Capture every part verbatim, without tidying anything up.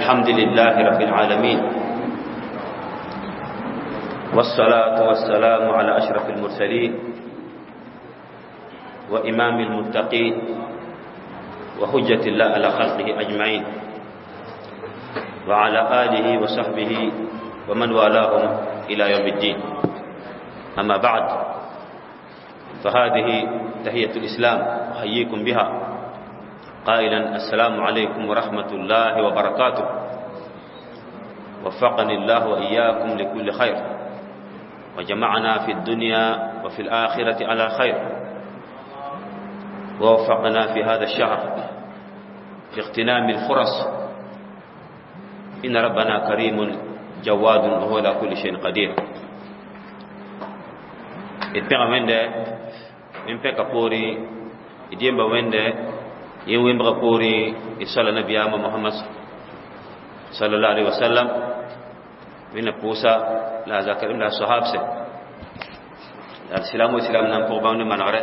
الحمد لله رب العالمين والصلاة والسلام على أشرف المرسلين وإمام المتقين وحجة الله على خلقه أجمعين وعلى آله وصحبه ومن والاهم إلى يوم الدين. أما بعد، فهذه تحية الإسلام أحييكم بها قائلا: السلام عليكم ورحمة الله وبركاته. وفقني الله وإياكم لكل خير وجمعنا في الدنيا وفي الآخرة على خير، ووفقنا في هذا الشهر في اغتنام الفرص، إن ربنا كريم جواد وهو على كل شيء قدير. D pẽga Wẽnde n pẽka poorẽ, d yemba Wẽnde yẽ wẽmbga poorẽ, d soala nabiyaamã Mohamad sallallahu alaihi wasallam, wẽnna pʋʋsa la a zakr la a soahabse la d silam wa silam nan pʋg bãmb ne manegre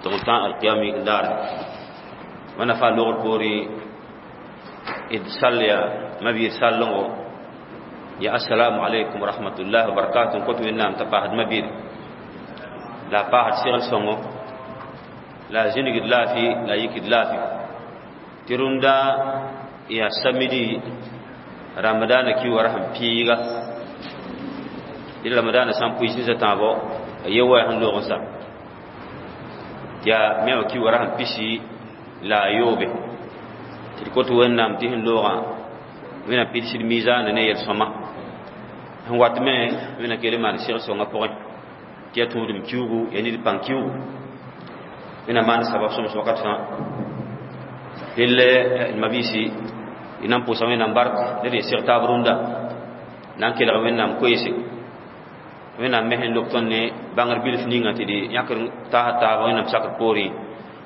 tɩ n tã alkiyam yik n daare. Wãna fãa logr poorẽ, d sall ya mabiir sallengo ya assalamu alaikum wa rahmatullahi wa barakatuh, n kõt Wẽnnaam t'a paasd mabiir la a paasd segl sõngo la a zĩnigd laafɩ la a yikd laafɩ tɩ rũndã yaa samedi ramadaana ki wara sẽn piiga dɩ ramadaana sã n pʋɩ zĩsã tãabo a ye waya sẽn loog n sa tɩ yaa me wã ki wara sẽn pisi la a yoobe tɩ d kot Wẽnnaam tɩ sẽn loogã Wẽnnaam pidsd miizaana ne yel-sõma sẽn wat me Wẽnnaam kell n maan seg sõngã pʋgẽ tɩ yaa tũudem kiugu yaa ned pãng kiugu. Wẽnnaam maan sabab sõms wakat fãa. Dell d mabiisi, d na n pʋʋsa Wẽnnaam bark la d seg taab rũndã na n kelg Wẽnnaam koeese Wẽnnaam me sẽn lok tõnd ne bãngr bilf ninga tɩ d yãkr taasd taaba Wẽnnaam sakr poorẽ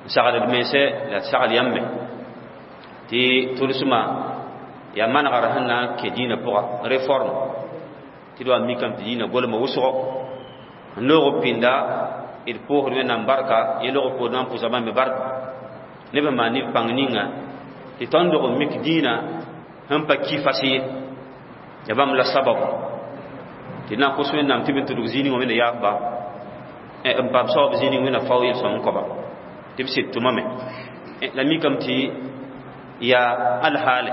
n sagd d mense la d sagl yãmbe tɩ tʋlsmã yaa manegr sẽn na n kẽ dĩinã pʋga réforme tɩ d wa mikame tɩ dĩinã golmã wʋsgo n loog b pĩnda. D pʋʋsd Wẽnnaam barka yẽ log b poor na n pʋsa bãmb me bark neb sẽn maan neb pãng ninga tɩ tõnd dog n mik dĩinã sẽn pa ki fas ye ya bãmb la sababu tɩ na n kos Wẽnnaam tɩ b n tudg zĩig wã Wẽnna yaafba n paam saoab zĩig Wẽnna fao yel-sõm n koaba tɩ b sɩd tʋmame la mikame tɩ yaa alhaale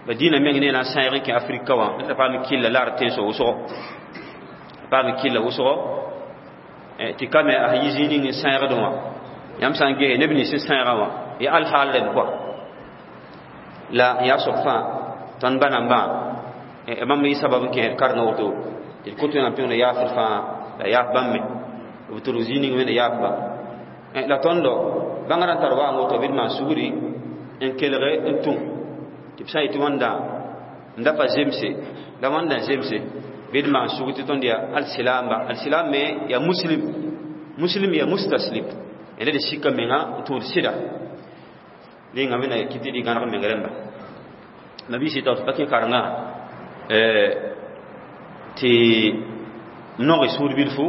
ba dĩinã meng ne na n sãeeg n kẽ Afrika wã t'a paam kɩlla la r tẽnsg wʋsgo paam kɩlla wʋsgo tɩ kame a yi zĩig ning n sãeegdẽ wã yãmb sã n ges neb nins n sãeegã wã ya alhaal rẽnd kɔa la yaa soab fãa tõnd ba nambã bãmb yɩ sabab n kẽed karengã woto tɩ d kõt Wẽnnaam tɩ Wẽnna yaafd fãa la yaaf bãmb me b tudg zĩig ning Wẽnna yaaf ba la tõndo bãngrã n tar waang woto bɩ d maan sugri n kelge n tũ tɩ b sã n yetɩ wãnda n da pa zemse la wãnda n zemse bɩ d maan sug tɩ tõnd yaa alsilamba alsilam me yaa muslim muslim yaa mustaslim ẽda d sika menga n tũud sɩda rẽnga wẽnna kɩ tɩ d gãneg meng rẽmba mabiisi tɩ pa kẽ karengã tɩ noge sũur bilfu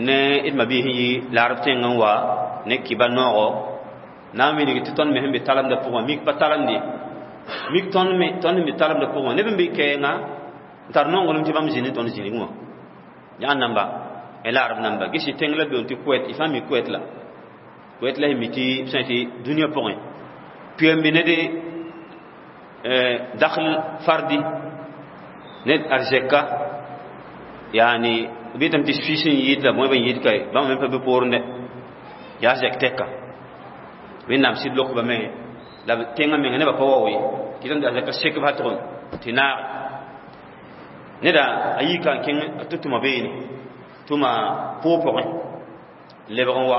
ne d mabiis n yi laarb tẽng n wa ne kɩba noogo na n wilg tɩ tõnd me sẽn be talemdã pʋgã mik pa talemde mik tõnd me tõnd sẽn be talemdã pʋgã neb n be kɛɛngã n tar nonglem tɩ bãmb zĩnd tõnd zĩnig wã yaa namba laarb namba gesi tẽng la beoon tɩ Kuwait y fãa mi Kuwait la Kuwait la sẽn mi tɩ b sã tɩ dũniyã pʋgẽ pʋyembe ned dakhl fardi ned arzɛka yaani b yetame tɩ fis n yɩɩd la bõe b n yɩɩd kae bãmb me pa be poorẽ yaa zɛk tɛka Wẽnnaam sɩd lokba me la tẽngã menga nebã pa wao ye tɩ tãmd a zɛka sek b tʋg tɩ naage neda a yika n kẽng tɩ tʋma beene tʋma pʋʋg pʋgẽ lebg n wa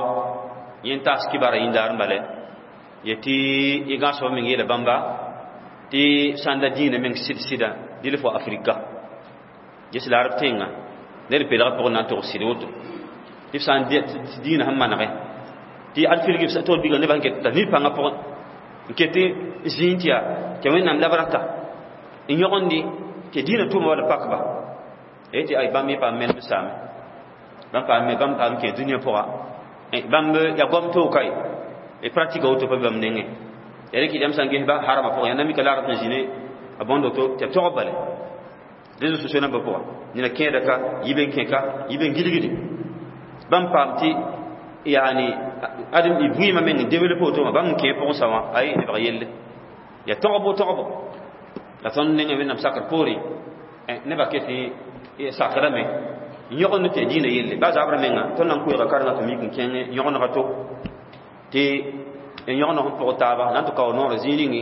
yẽ n taas kibara yĩndaar n bale yetɩ y gãsb meng yeela bãmba tɩ sã n la dĩinã meng sɩd sɩda dɩl fo Afrika ges la arab tẽnga ned pelga pʋgẽ na n tog sɩd woto tɩ b sã n dĩinã sẽn manegɛ tɩ ad filg tog biga nebã sẽn ket t'a nid pãngã pʋgẽ n ket zĩig tɩ yaa tɩ Wẽnnaam la b rata n yõgendi tɩ dĩinã tʋʋma wala pakba tɩ ay bãmb yẽ paam menem saame bãmb paam bãmb paam kẽ dũniyã pʋga bãmb yaa goam toog kae e pratique woto pa bãmb nengẽ Ya rẽk yam sã n ges ba harama pʋgẽ yaa na mika la rab sẽn zĩ ne a bõndo to tɩ tog bale réseaux sociaux nambã pʋga nina kẽeda ka yib n kẽ ka yib n gilgdi bãmb paam tɩ yani adem y vɩɩmã meng n développe woto wã bãmb n kẽ pʋgẽ sa wã ay nebg yelle ya togbo togbo la tõnd nengẽ wẽnnaam sakr poorẽ nebã ket sakrame yõgend tɩ dĩinã yelle ba zabrã menga tõnd na n koeega karengã tɩ mik n kẽng yõgenega to tɩ yõgeneg n pʋg taaba na n tɩ kao noorã zĩig ninge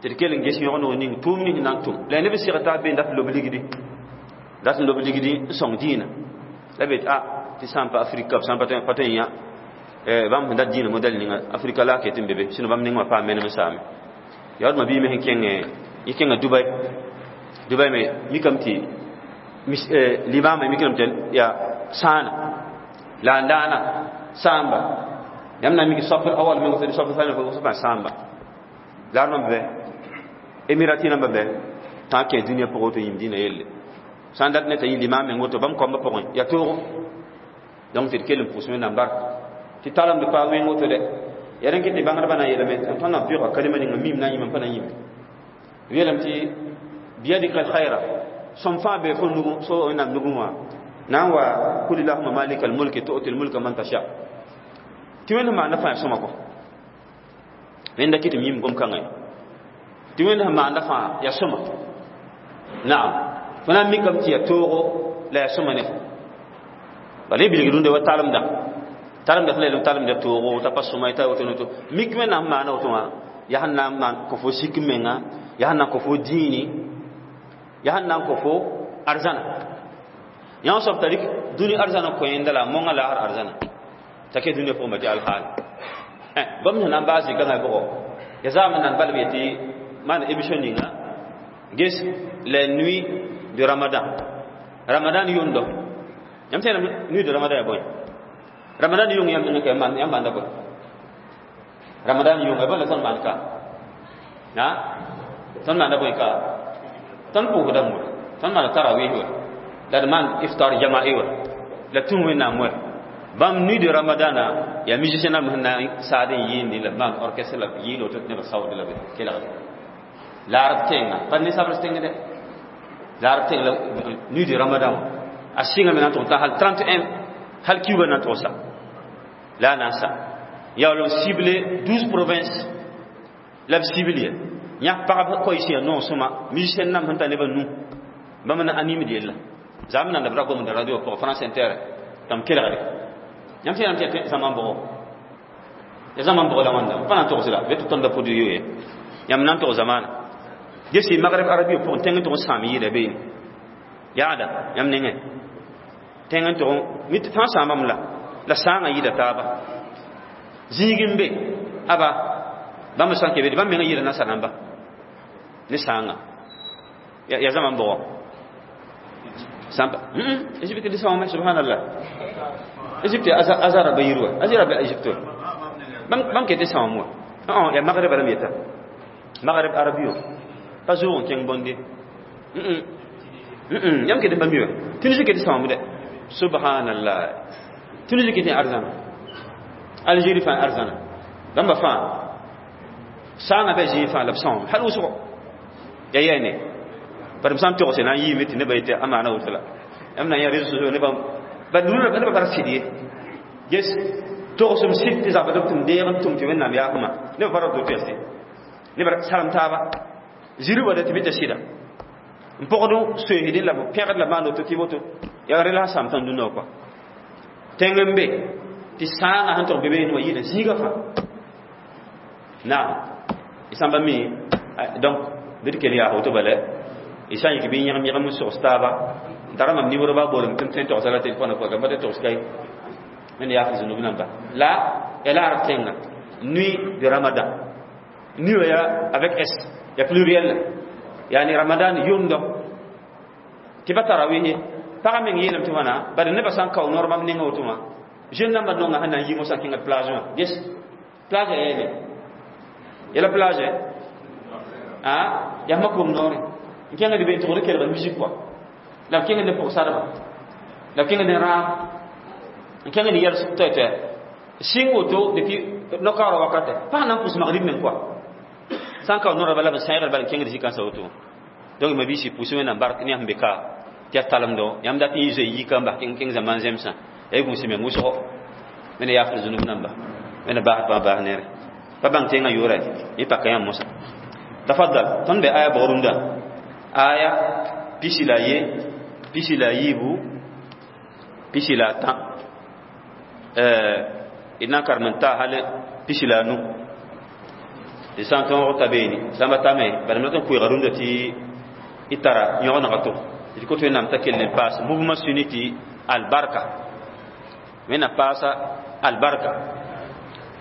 tɩ d kell n ges yõgeneg ning tʋʋm ning na n tʋm la neb seg taa be n dat lob ligdi dat n lob ligdi n sõng dĩinã la be tɩ a tɩ sã n pa afrika b sã n pa tõe n yã bãmb sẽn dat dĩinã modɛl ninga afrika la a ket n be be sɩno bãmb neng wã paam menem n saame yaa d ma bii me sẽn kẽng y kẽnga Dubai Dubai me mikame tɩ limama mikame tɩ yaa sãana la n daana sãamba yãmb na n mik saf awal meng saf sãn sã sãamba la d bãmb bɛ emirati namba bɛ tã kẽ dũniyã pʋgẽ woto yĩm dĩinã yelle sã n dat ne t'a yɩ limam meng woto bãmb koambã pʋgẽ yaa toogo donc tɩ d kell n pʋʋs wẽnnaam bark tɩ talemd paam wẽng woto dɛ ya rẽn kɩ tɩ bãngdbã na n yeelame tõnd na n pɩʋga kalima ninga mim na n yĩm n pa na n yĩme yeelame tɩ biyadika alkhaira sõm fãa be fo nugẽ so wẽnnaam nugẽ wã na n wa kul illahuma malika almulki tu'ti almulka man tasha tɩ wẽnd sẽn maanda fãa ya sõma kɔ wẽnda kɩ tɩ m yĩm gom-kãngã ye tɩ wẽnd sẽn maanda fãa ya sõma naam fo na n mikame tɩ ya toogo la ya sõma ne fo bala y bilg rũndã wa talemda talemda sẽn la yeelame talemda toogo t'a pa sõma t'a woto woto mik wẽnnaam sẽn maana woto wã yaa sẽn na n maan kõ fo sik menga yaa sẽn na n kõ fo dĩini yaa sẽn na n kõ fo arzãna yã soab t'a rɩk dũni arzãna kõ yẽnda la a monga laasr arzãna t'a ke dũniyã pʋgẽ tɩ alhaal bãmb sẽn na n baas zikãngã bʋgɔ ya zaam n nan balb yetɩ maan émission ninga ges les nuits de Ramadan Ramadan yʋndo yãmb tẽedame nuit de Ramadan ya bõe Ramadan yʋng yãmb nengẽ ka yãmb maanda bõe Ramadan yʋng ya bõe la tõnd maan ka na tõnd maanda bõe ka tõnd pʋʋsdame wa tõnd maanda tarawih wa la d maan iftar jama'i wa la tũ wẽnnaam wa bãmb nuit de Ramadan yaa musicien nambã sẽn na n saad n yɩɩndi la b maan orchestre la b yɩɩl woto tɩ nebã saood la b kelgde la rab tẽnga pa ne sabr tẽng dɛ la rab tẽng la nuit de Ramadan a sɩngame na n tʋg t'a hal trente et un hal kiuga na n tʋgsa la a na n sa yaool n cible douze provinces la b cible ye yã pagb koɛɛs yaa noog sõma musicien namb sẽn tar nebã nu bãmb na animd yella zaam nan b ra gomda radio pʋgã France Inter tãmb kelgde yãmb sẽn tɩ yaa zãma n bʋgo ya zãma n bʋgo la wãnda pa na n togs la be tɩ tõnd da pʋd yo ye yãmb na n tog zamaana gesi Maghreb arabe pʋgẽ tẽng n tʋg n sãam yɩɩda beene yaada yãmb nengẽ tẽng n tʋg mi fãa sãambame la la sãangã yɩɩda taaba zĩig n be aba bãmb sã n ke be bãmb mengã yɩɩda nasa namba ne sãangã ya zãma n bʋgɔ sãmba Égypte di sãoome subhanallah Égypte azara ba yir wa azara ba Égypte bãmb ket sãoam wa ya Maghreb rãmb yeta Maghreb arabio pa zʋʋg n kẽng bõnde yãmb ket n pa mi wa Tunisie ket sãoam dɛ subhanallah Tunisie ket n arzãna Algérie fãa arzãna bãmba fãa sãangã bɩ zĩig fãa la b sãoame hal wʋsgo ya yɛɛne bari m sã n togse na n yiime tɩ nebã yetɩ a maana woto la yãmb na n yã réseaux sociaux nebã ba nubã bara sɩd ye ges togsem sɩd tɩ zabd b tʋm deeg n tʋm tɩ wẽnnaam yaafmã nebã pa ra to tɩ nebã salem taaba ziri wa tɩ bɩ tɩ sɩda n pʋgd soeesdẽ la pẽgd la maan woto tɩ woto yaa rẽ la sãam tõnd dũnã kɔa tẽng n be tɩ sãangã sẽn tʋg be beene wã yɩɩda zĩigã fãa naam y sãn pa mi donc bɩ d kell yaa woto bala y sã n yik bɩ yẽgem yẽgem n sogs taaba n tara mam nimro ba boolem tɩ m tõe n togsa la telefõnã pʋga pa tɩ togs kay wẽnd yaaf zũnub namba la ya la arab tẽnga nuit de Ramadan nuit ya avec s ya pluriel yani Ramadan yʋndo tɩ pa tarawih pagã meng yeelame tɩ wãna bari nebã sã n kao noor bãmb nengã woto wã jeune nambã nonga sẽn na n yi mosã kẽnga plage wã ges plage ya yeele yala plage a yaa mak bom noore n kẽnga d be n tʋgd kelg musique quoi la b kẽng ne pʋg-sadba la b kẽng ne raam n kẽng ne yɛls toɛ-toɛ sɩng woto depuis nokaoorã wakatɛ pag na n pʋs magrib meng quoi Sã n ka nora bala b sẽegr bala n kẽngd zĩ-kãnsã woto. Donc ma biisi pʋʋs Wẽnnaam bark ne yãmb be ka tɩ yaa talemdo yãmb dat n yɩ zoe yika n bas kẽng zãmbã n zemsã ya y gũus meng wʋsgo wẽnna yaafd zũnub namba wẽnna baasd pãg baas neere pa bãng tẽngã yʋʋra yẽ paka yãmb mosã. Tafaddal, tõnd be aya bʋg rũndã? Aya pisi la ye, pisi la yiibu, pisi la tã, d na n karem n ta hal pisi la nu d sã n tõog ta beene sãmba tame bala m rat n koeega rũndã tɩ y tara yõgenega to d kot Wẽnnaam t'a kell n paas mouvement sunnite albarka. Wẽnnaam paasa albarka.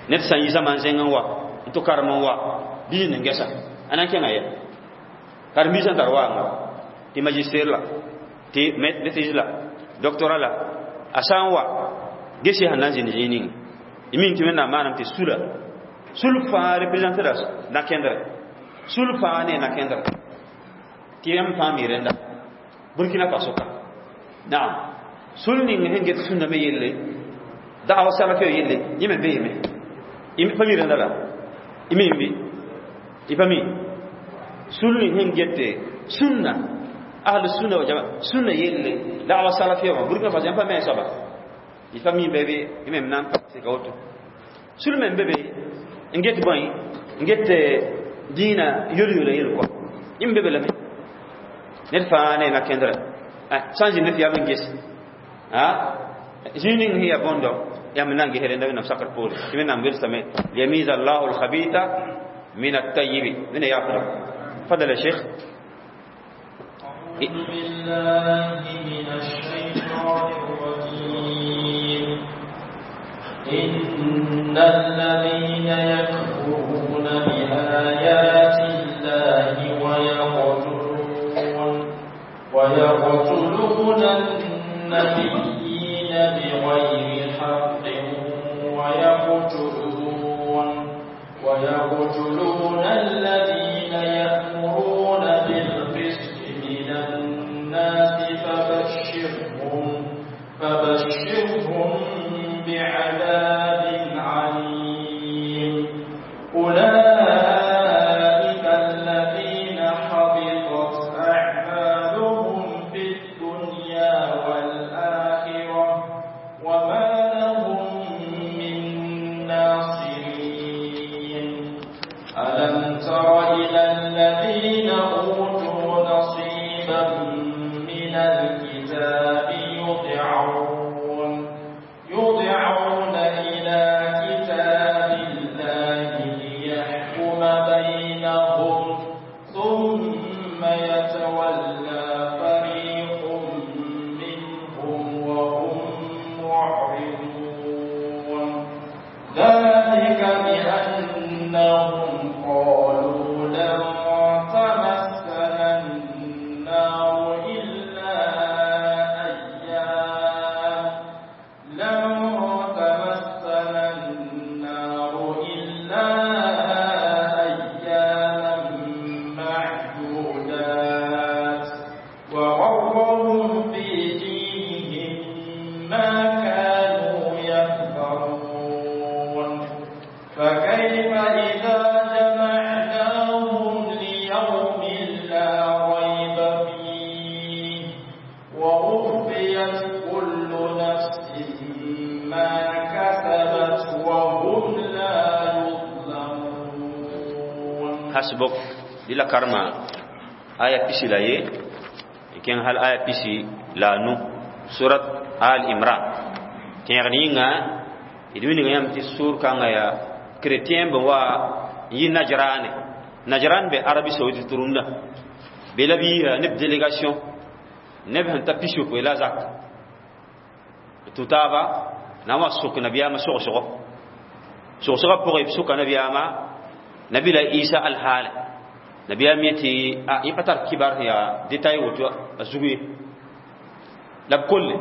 Ned sã n yi zãma n zẽng n wa n tɩ karem n wa bɩ zĩnd n gɛsa a na n kẽnga yɛ karen-biisã n tar waanga tɩ magistère la tɩ maîtrise la doctorat la a sã n wa gese sẽn na n zĩnd zĩig ning y min tɩ Wẽnnaam maanam tɩ sula sul fãa représente la na-kẽndrɛ sul fãa ne na-kẽndrɛ tɩ yãmb fãa mi rẽnda Burkina Faso ka naam sul ning sẽn get sũnna me yelle da'wa salafiya yelle yẽ me beeme pa mi rẽnda la y mi bɩ y pa mi sul ning sẽn gete sunna ahlu sunna wa jamaa sunna yelle da'wa salafiya wã Burkina Faso yãmb pa me soaba y pa mi be bɩ y me na n pa seka woto sul me be be n get bõe n get dĩinã yol-yola yel kɔ yẽ me be be lame ned fãa ne na-kẽndrɛ sã n zĩnd tɩ yaa n ges zĩig ning sẽn yaa bõndo yãmb na n ges rẽnda Wẽnnaam sakr poore tɩ Wẽnnaam welsame liyamiza allahu alkhabitha min at-tayyib wẽnna yaafda. تفضل يا شيخ. أعوذ بالله من الشيطان الرجيم. إن الذين يكفرون بآيات الله ويقتلون ويقتلون النبيين بغير حق ويقتلون ويقتلون الذين يأمرون بالقسط من الناس فبشرهم فبشرهم بعذاب عليم. أولئك الذين حبطت أعمالهم في الدنيا والآخرة وما لهم من ناصرين. ألم تر إلى الذين أوتوا نصيبا من الكتاب يدعون يدعون إلى كتاب الله ليحكم بينهم ثم يتولى فريق منهم وهم معرضون. ذلك بأنهم قالوا لن تمسنا النار إلا أيام لن تمسنا النار إلا أياما معدودات وغرهم في دينهم ما كانوا يفترون. فكيف إذا جمعناهم ليوم لا ريب فيه ووفيت كل نفس ما كسبت وهم لا يظلمون. Hasbuk dila karma aya pisi la ye kẽng hal aya pisi la nu surat Al Imran tẽegd yĩnga d wilg yãmb tɩ sʋʋr kãngã yaa chrétien bẽ wa n yi Najrane. Najran be Arabie Saoudite rũndã be la b yiisa neb délégation neb sẽn ta pis-yopoe la zak tũ taaba na n wa sok nabiyaamã sogsgo sogsgã pʋgẽ b soka nabiyaamã nabi la Isa alhaala nabiyaam yetɩ a yẽ pa tar kibar sẽn yaa détail woto a zug ye la b kolle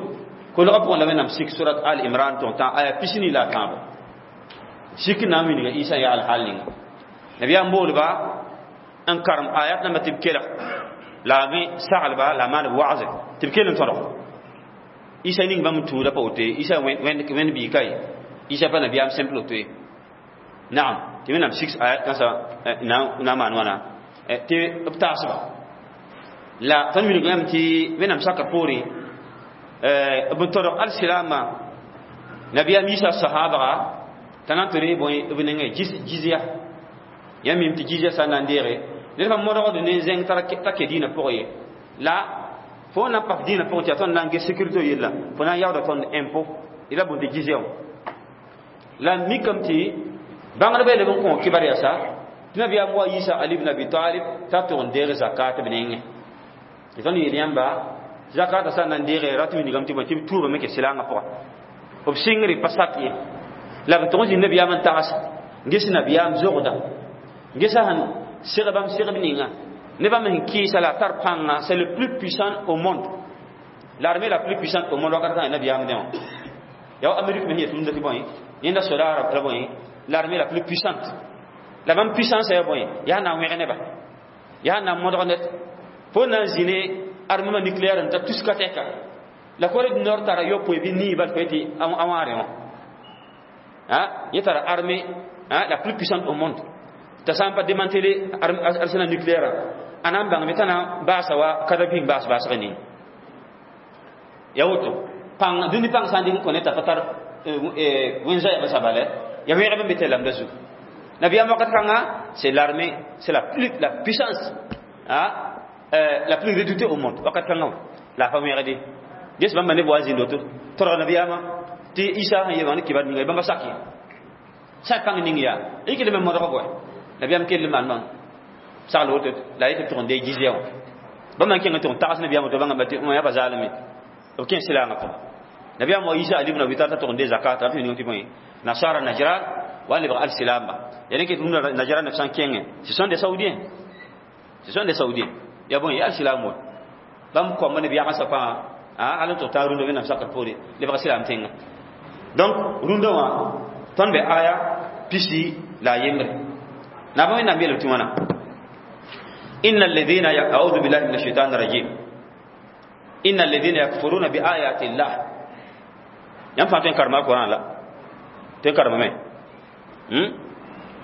kolgã pʋgẽ la Wẽnnaam sik surat Al Imran tõg tã aya pisni la a tãabo sik na n wilga Isa yaa alhaal ninga nabiyaam boolba n karem ayat nambã tɩ b kelg la a me saglba la a maan b wagze tɩ b kell n tõdg Isa ning bãmb tũuda pa woto ye Isa wẽnd biig ka ye Isa pa nabiyaam simple woto ye Naam, tɩ Wẽnnaam six ayat kãnsã na n maan wãna tɩ b tagsba la tõnd wilg yãmb tɩ Wẽnnaam sakr poorẽ b todg al-silaamã nabiyaam Yiisa sahaabga t'a na n tɩ ree bõe b nengẽ jizya. Yãmb mim tɩ jizya sã n na n deege ned fa modgd ne zẽng t'a ke dĩinã pʋgẽ ye la fo na n pak dĩinã pʋgẽ tɩ yaa tõnd na n ges sécurité yella fo na n yaooda tõnd impôt d la bũmb tɩ jizya wã la mikame tɩ bãngdbã yeelame n kõ kibar yasa tɩ nabiyaam wa Yiisa Ali ibn Abi Talib t'a tʋg n deeg zakat b nengẽ. Tɩ tõnd yeel yãmba zakata sã n na n deege rat wilgame tɩ bõe tɩ b tuubame ke silaangã pʋga b sɩngre pa sak ye la b tʋg n zĩnd nabiyaam n tags ges nabiyaam zogda gesa sẽn seg bãmb segb ninga ne bãmb sẽn kɩɩsa la a tar pãnga. C'est le plus puissant au monde, l'armée la plus puissante au monde wakat kãngã nabiyaam dẽ wã yaa Amérique me sẽn yet rũndã tɩ bõe yẽnda sodaara la bõe l'armée la plus puissante la bãmb puissance yaa bõe yaa na n wẽg neba yaa na n modg ned fo na n zĩ ne armement nucléaire n ta tuska tɛka la Corée du Nord tara yopoe bɩ nii bal fo tɩ a wãare wã yẽ tara armée la plus puissante au monde t'a sã n pa démantelé arsenal nucléaire a na n bãngme t'a na n baasa wa kadaping baas baasg ning ya woto pãng dũni pãng sã n dɩk n kõ ne t'a pa tar wẽn-zaɛb sabale ya wẽgb n be tɩ lamda zugu nabiyaam wakat kãnga. C'est l'armée, c'est la plus la puissance, hein, euh, la plus redoutée au monde wakat kãnga wã la a pa wẽgde ges bãmba neb wa zĩnd woto todg nabiyaamã tɩ Isa sẽn yema ne kibar ninga bãmba sak ye sã pãng ning yaa y kell me modg bõe nabiyaam kell maan bãng sagl woto la yetɩ tʋg n dee jizya wã bãmb n kẽng tʋg n tags nabiyaam woto bãnga tɩ yã pa zaalame b kẽ silaangã pʋga nabiyaam wa Isa Ali ibn Abi Talib t'a tʋg n dee zakata tɩ ning tɩ bõe nasara Najran wa lebg al-silamba ya ne ket rũndã Najran neb sã n kẽngẽ, ce sont des Saoudiens, ce sont des Saoudiens ya bõe ya al-silam wa bãmb koamba neb yagensã fãa hal n tʋg taa rũndã Wẽnnaam sakr poore lebg silam tẽngã. Donc rũndã wã tõnd be aya pisi la a yembre naaba Wẽnnaam yeelame tɩ wãna إن الذين أعوذ بالله من الشيطان الرجيم إن الذين يكفرون بآيات الله yãmb fãa tõe n karema Alquran la tõe n karemame.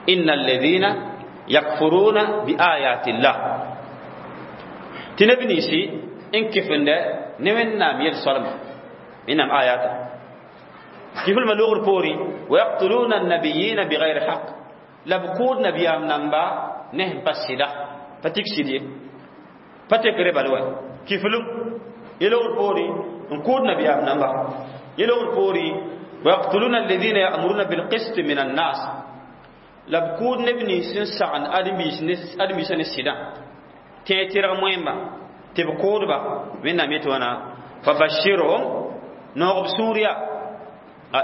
إن الذين يكفرون بآيات الله tɩ neb ninsi n kɩfende ne Wẽnnaam yel-soalma Wẽnnaam ayata kiflmã logr poorẽ ويقتلون النبيين بغير حق la b kʋʋd nabiyaam namba ne sẽn pa sɩda pa tik sɩd ye pa tekre bal wa kiflum yelogr poorẽ n kʋʋd nabiyaam namba yelogr poorẽ ويقتلون الذين يأمرون بالقسط من الناس la b kʋʋd neb nins n sagn ãdem-biisã ne sɩdã tẽ tɩrg moẽmba tɩ b kʋʋdba Wẽnnaam yetɩ wãna فبشرهم noog b sũur yaa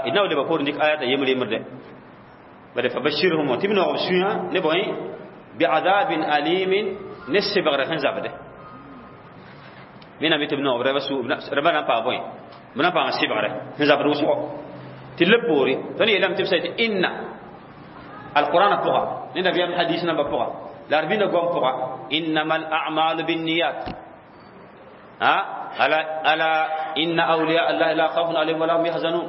d na wa leba poorẽ dɩk ayata yembr yembrde bare فبشرهم tɩ b noog b sũyã ne bõe بعذاب أليم ne sebgre sẽn zabde Wẽnnaam yetɩ b noog rãmba na n paam bõe b na n paam sebgre sẽn zabd wʋsgo tɩ leb poore tõnd yeelame tɩ b sa tɩ inna alqur'ana pʋga ne nabiyaam hadis namba pʋga la d bĩnda goam pʋga إنما الأعمال بالنيات ألا ألا إن أولياء الله لا خوف عليهم ولا هم يحزنون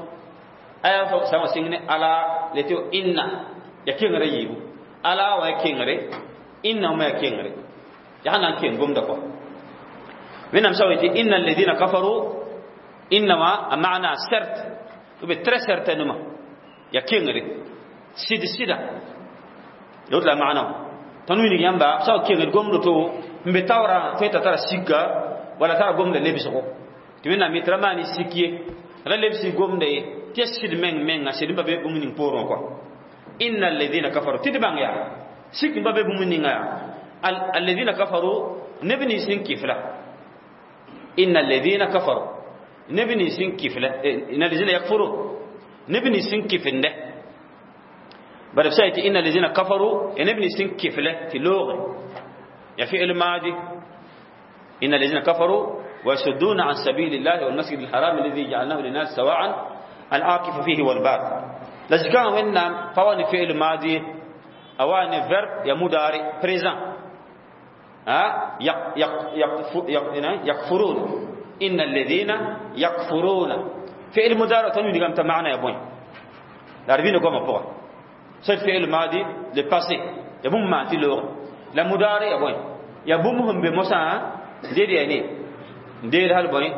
aya sama sĩng ne ألا le tɩ إن ya kengre yiibu ألا wa ya kengre إن ma ya kengre yaa na n keng gomda kɔ Wẽnnaam sa tɩ إن الذين كفروا إنما a maana certes ou bien très certainement ya kengre sɩd sɩda la woto la maana tõnd wilg yãmba sa wa kengd gomdo to n be taoorã tõe t'a tara sika wala tara gomda lebsgo tɩ Wẽnnaam yetɩ ra maan sik ye ra lebsi gomda ye tɩ ya sɩd meng menga sɩd n pa be bũmb ning poorẽ kɔa إن الذين كفروا tɩ d bãng yaa sik n pa be bũmb ninga yaa الذين كفروا neb nins n kɩfla إن الذين كفروا neb nins n kɩfla إن الذين يكفرون neb nins n kɩfende bara b sa tɩ إن الذين كفروا neb nins n kɩfle tɩ looge ya فعل ماضي إن الذين كفروا ويصدون عن سبيل الله والمسجد الحرام الذي جعلناه للناس سواء العاكف فيه والباد la zikã Wẽnnaam pa wa ne فعل ماضي a wa ne verbe ya مضارع présent يكفرون إن الذين يكفرون فعل مضارع tõnd wilgame t'a maana ya bõe la d bĩna goamã pʋga C'est fi'il madi, le passé. Ya bũmb maan tɩ loog la mudare ya bõe ya bũmb sẽn be mosã n deed ya ne n deed hal bõe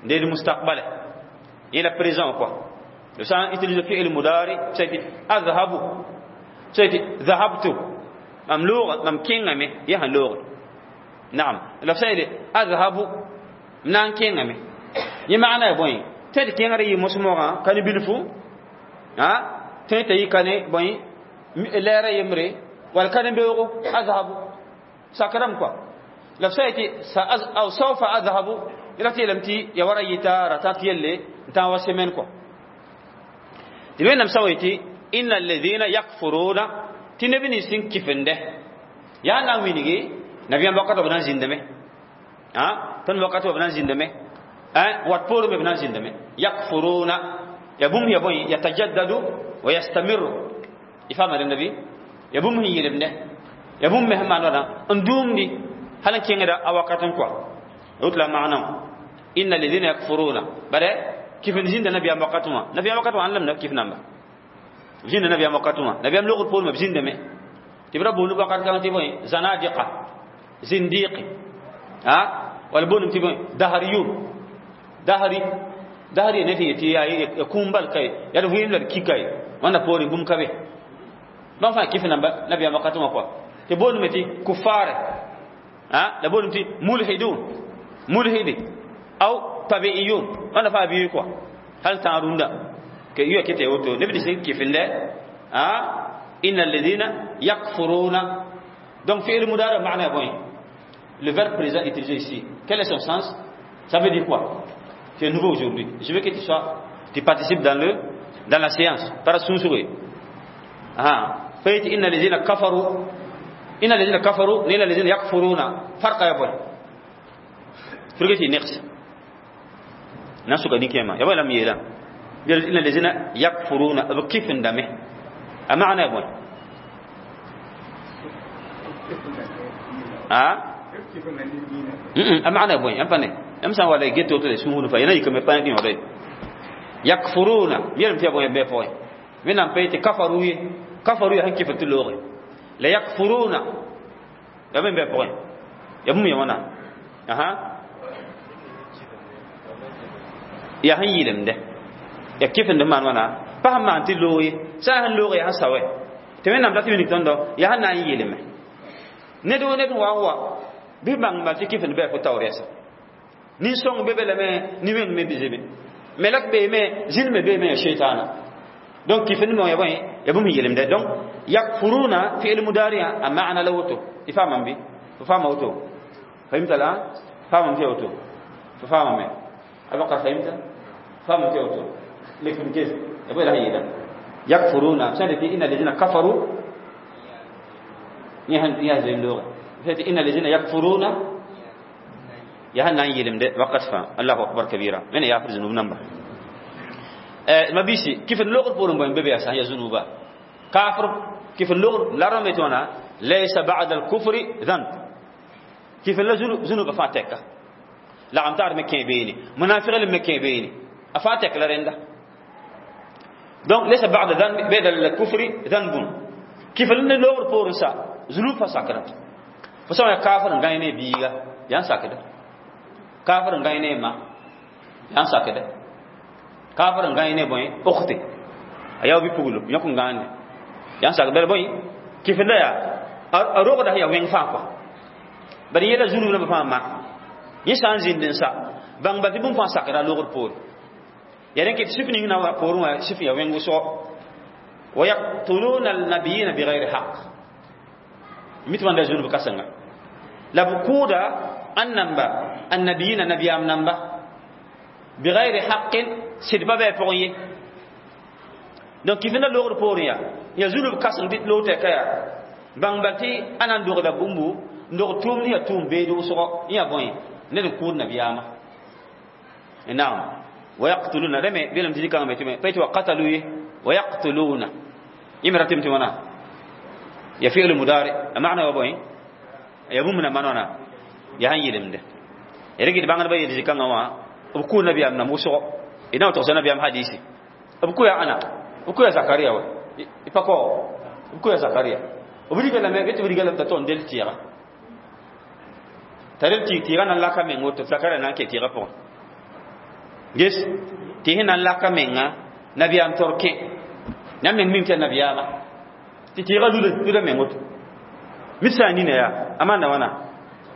n deed mustaqbala yẽ la présent quoi. Le sã n utilise fi'il mudari, c'est adhabu, c'est dhahabtu, mam looga mam kẽngame yaa sẽn looge naam la b sã yeele adhabu m na n kẽngame yẽ maana ya bõe tɩ d kẽngr yɩ mos-moogã ka ne bilfu a tõe t'a yɩ ka ne bõe lɛɛra yembre wala ka ne beoogo azhabu sakdame quoi. La b sã yetɩ aw sawfa adhabu la tɩ yeelame tɩ ya wara yɩta rata tɩ yelle n tã wa semaine quoi. Tɩ wẽnnaam sã wa yetɩ inna alladhina yakfuruna tɩ neb nins sẽn kifende yaa na n wilgi nabiyaam wakatã b na n zĩndame a tõnd wakatã b na n zĩndame wat poorẽ me b na n zĩndame yakfuruna ya bũmb ya bõe yatajaddadu wa yastamiru y faama rẽnda bɩ ya bũmb sẽn yɩlemdɛ ya bũmb me sẽn maan wãna n dũumdi hal n kẽngda a wakat n kɔa wot la maana inna alladhina yakfuruna bare kifin zĩnda nabiyaam wakatẽ wã nabiyaam wakatẽ wã ãn lamda kif namba zĩnda nabiyaam wakatẽ wã nabiyaam logr poorẽ me b zĩndame tɩ b ra boond wakat kãng tɩ bõe zanadiqa zindiqi a wala boondem tɩ bõe dahriyun dahri dahri ne tɩ yetɩ yaa kũum bal ka ye yaa d vɩɩm la d kika ye wãnda poorẽ bũmb ka be bãmb fãa kif namba nabiyaam wakatẽ wã kɔa tɩ boondme tɩ kufare a la boondem tɩ mulhidun mulhidi aw tabi'iyun wãnda fãa bɩ kɔa hal tã rũndã ke yuya kete woto neb nins sẽn kifinde a inna alladhina yakfuruna. Donc fi'il mudari maana ya bõe le verbe présent utilisé ici, quel est son sens? Ça veut dire quoi? Tu es nouveau aujourd'hui, je veux que tu sois, tu participes dans le dans la séance par sũnsugre ah fayt inna alladhina kafaru inna alladhina kafaru inna alladhina yakfuruna farqa ya bõe firgeti neqs na suka ninkema ya bõe lam yeela inna alladhina yakfuruna b kifindame a maana ya bõe a a maana ya bõe yãmb pa ne yãmb sã n wala get woto sũur fa yẽna yikame pa dĩ wã yakfuruna yeelame tɩ ya bõe bɩ pʋgẽ wẽnnaam pa yetɩ kafaru ye kafaru ya sẽn kifd tɩ looge la yakfuruna ya bõe bɩ pʋgẽ ya bũmb ya wãna aha ya sẽn yɩlemdɛ ya kifnd maan wãna pa sẽn maan tɩ loog ye sã n sẽn loog ya sẽn sao tɩ wẽnnaam dat wilg tõndo yaa sẽn na n yɩlme ned wo ned wa n wa bɩ bãng bal tɩ kifnd bɩ fo taoor yɛsa nin-sõng be be lame ni-wẽng me zebe melek beeme zĩnd me beeme ya sheitana donc kifnd me ya bõe ya bũmb yɩlemdɛ donc yakfuruna fi'l mudari'a a maana la woto y faamame bɩ fo faama woto fahimta la faamame tɩ ya woto fo faamame abakar fahimta faamame tɩ ya woto lekfim kes ya bõe la sẽn yeela yakfuruna sã n inna alladhina kafaru yã zem looge inna alladhina yakfuruna ya sẽn na n yɩlemde wakat fãa allahu akbar kabira wẽna yaafd zũnub namba ma bisi kifd logr poorẽ bõe be be yaa sã ya zũnuba kafr kifd logr la rãmbe tɩ wãna laysa ba'da al-kufri dhanb kifd la zũnuba fãa tɛka lagm taar me kẽ beene munafig me kẽ beene a fãa tɛk la rẽnda donc laysa ba'da dhanb ba'da al-kufri dhanbun kifd ne logr poorẽ sa zũnub fa sakda fo sã n yaa kafr n gãe ne biiga yaa n sakda kafr n gãe ne ma yaa n sakda kafr n gãe ne bõe okte a yaa bɩ puglo yõk n gãande yaa n sak bala bõe kifnda yaa a rogda sẽn yaa wẽng fãa kɔa bala yẽla zũnub nambã fãa mak yẽ sã n zĩnd n sa bãng bal tɩ bũmb fãa sakda a logr poore yaa rẽ tɩ sif ning na wa poorẽ wã sif yaa wẽng wʋsgo wa yaktuluna alnabiyina bigayri haq mit wãnda zũnub kãsenga la b kʋʋda an namba annabiyina nabiyaam namba bigayri haqin sɩd pa bɩ a pʋgẽ ye donc kifnda logr poorẽ yaa yaa zũnub kãseng tɩ loog tɛka yaa bãng bal tɩ a na n dogda bũmbu n dog tʋʋmd yaa tʋʋm beed wʋsgo yẽ yaa bõe ned n kʋʋd nabiyaamã naam wa yaqtuluna rẽ me beelame tɩ zĩ-kãngã me tɩ pa yetɩ wa qatalu ye wa yaqtuluna yẽ me ratɩm tɩ wãna ya fi'l mudari a maana wa bõe ya bũmb na maan wãna yaa sẽn yɩlemde ya rɩk d bãngdbã yeel zĩ-kãngã wã b kʋʋ nabiyaam nam wʋsgo d na n togsa nabiyaam hadisi b kʋ yaa ãna b kʋ yaa zakaria wa y pa kao Ko ya Zakaria b riga lame tɩ b riga lame t'a tog n del tɩɩga t'a del tɩɩg tɩɩgã na n laka meng woto Zakaria na n ke tɩɩgã pʋgẽ ges tɩ sẽn na n laka menga nabiyaam tor kẽ yãmb meng mim tɩ yaa nabiyaamã tɩ tɩɩgã luda luda meng woto mit sã n nina yaa a maanda wãna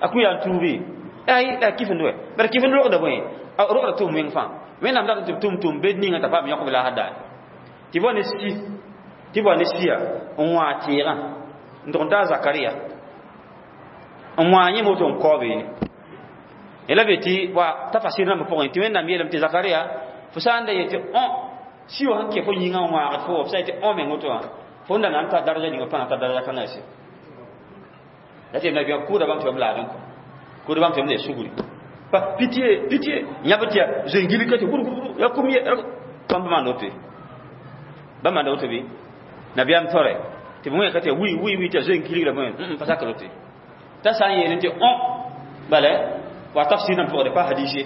a kũ yaa n tuubi ay la kifend wɛ bara kifend rogda bõe a rogda tʋʋm wẽng fãa wẽnnaam dat tɩ b tʋm tʋm bed ninga t'a paam yõkb la a daare tɩ bao ne si tɩ bao ne sia n wã tɩɩgã n tʋg n taa Zakaria n wã yẽ woto n kao beene la be tɩ wa tafasir rãmbã pʋgẽ tɩ wẽnnaam yeelame tɩ Zakaria fo sã n da yetɩ õ si wã sẽn kẽ fo yĩngã n wãagd fo wa f sã n yetɩ õ meng woto wã fo n da na n ta daraja ninga pa na ta daraja kãngã yɛse la tɩ nabiyaam kʋʋda bãmb tɩ bãmb laadẽ kɔ kʋʋda bãmb tɩ bãmb le sugri pa pitié pitié yãb tɩ ya zoe-gilg ka tɩ gurgurguru ya kum ye bãmb maanda woto ye bãmb maanda woto bɩ nabiyaam tore tɩ b wẽ ka tɩ wi wi wi tɩ ya zoe-gilg la bõe pa sakr woto ye t'a sã n yeel tɩ õ bala wa tafsir nan pʋgde pa hadis ye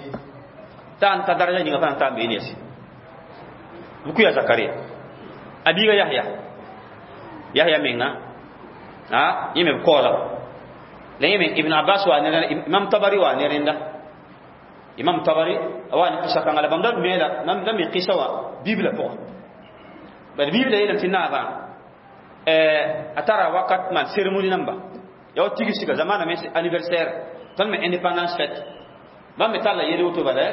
t'a n ta daraja ninga pa na n taam beene yɛse b kʋ ya Zakaria a biiga Yahya Yahya menga a yẽ me b kaoola la yẽ me Ibn Abbas wa ne Imam Tabari wa ne rẽnda Imam Tabari wa ne qisa kãnga la bãmb da meela da me qisa wã Bibla pʋga bad Bibla yeelame tɩ naabã a tara wakat maan cérémonie namba ya wa tigsga zamana me anniversaire tõnd me indépendance fête bãmb me talla yel woto bala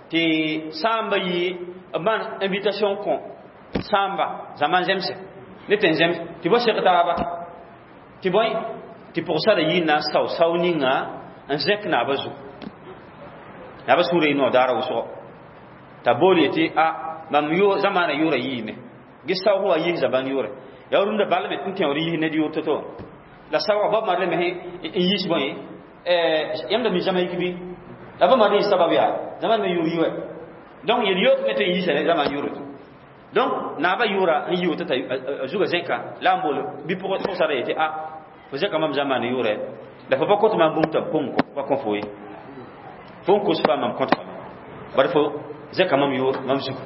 tɩ sãamba yi b maan invitation kõ sãamba zaman zemse ne tẽn zems tɩ bo seg taaba tɩ bõe tɩ pʋgsara yi n na n sao sao ninga n zẽk naabã zugu naabã sũurã yɩ noor daara wʋsgo t'a bool yetɩ a mam yo zamaana yʋʋra yiime ges saoog wa yis zaban yʋʋre yaa rũndã bal me n tẽoor yis ned yʋʋr to-to la saoogã bao mar me n yis bõe yãmb da mi Jamaïque bɩ la ba mar yis sabab yaa zaman me yʋʋr yi wɛ donc yel yook me tɩ n yisa ne zaman yʋʋre donc naabã yʋʋra n yi woto t'a zuga zẽka la n bool bɩ pʋgsara yetɩ a fo zẽka mam zamaana yʋʋrɛ la fo pa kõt mam bũmb t'a pʋng pa kõ fo ye fo n kos fa mam kõt fame bari fo zẽka mam yʋʋr mam zugu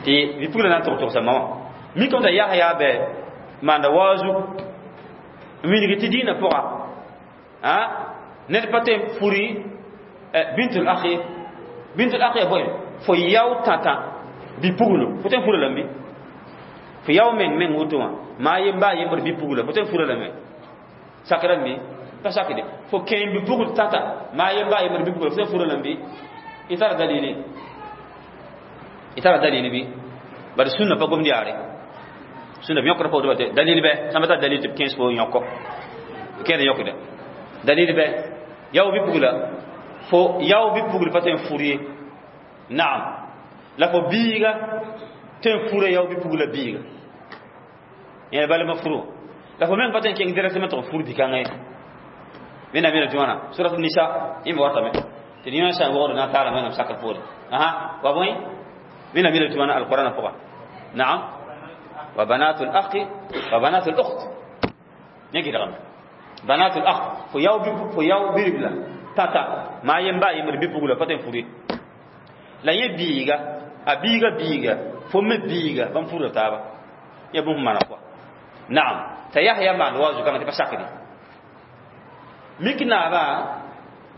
tɩ bɩ-pugla na n tog togsa ma wã mikame t'a Yahya bɛ maanda waazu n wilg tɩ dĩinã pʋga a ned pa tõe n furi bintul akhi bintul akhi ya bõe fo yao tãtã bi-puglo fo tõe n fura lame bɩ fo yao meng meng woto wã maa yemba a yembr bi-pugla fo tõe n fura lame sakra me pa sakde fo kẽem bi-pugl tãta maa yemba a yembr bi-pugla fo tõe n fura lame bɩ y tara dalili y tara dalili bɩ bari sũnna pa gomd yaare sũnna b yõkd pa woto tɩ dalil bɛ sãn pa tar dalil tɩ b kẽes fo yõko kẽed yõkda dalil bɛ yao bi-pugla fo yao bi-pugl pa tõe n fur ye naam la fo biiga tõe n fura yao bi-pugla biiga yẽ balma furo la fo meng pa tõe n kẽng directement tɩ f fur bi-kãngã ye wẽnnaam yeela tɩ wãna Surat Nisa yẽ me watame tɩ yõ sã n wogd na n taala wẽnnaam sakr poore aha wa bõe wẽnnaam yeela tɩ wãna alqurana pʋga naam wa banatul akhi wa banatul ukht yẽ gɩdgame banatul akh fo yao fo yao biribla tata maa yemba a yembr bi-pugla pa tõe n fur ye la yẽ biiga a biiga biiga fo me biiga bãmb furda taaba ya bũmb mana kɔa naam t'a Yahya maan wa zukãngã tɩ pa sakde mik naabã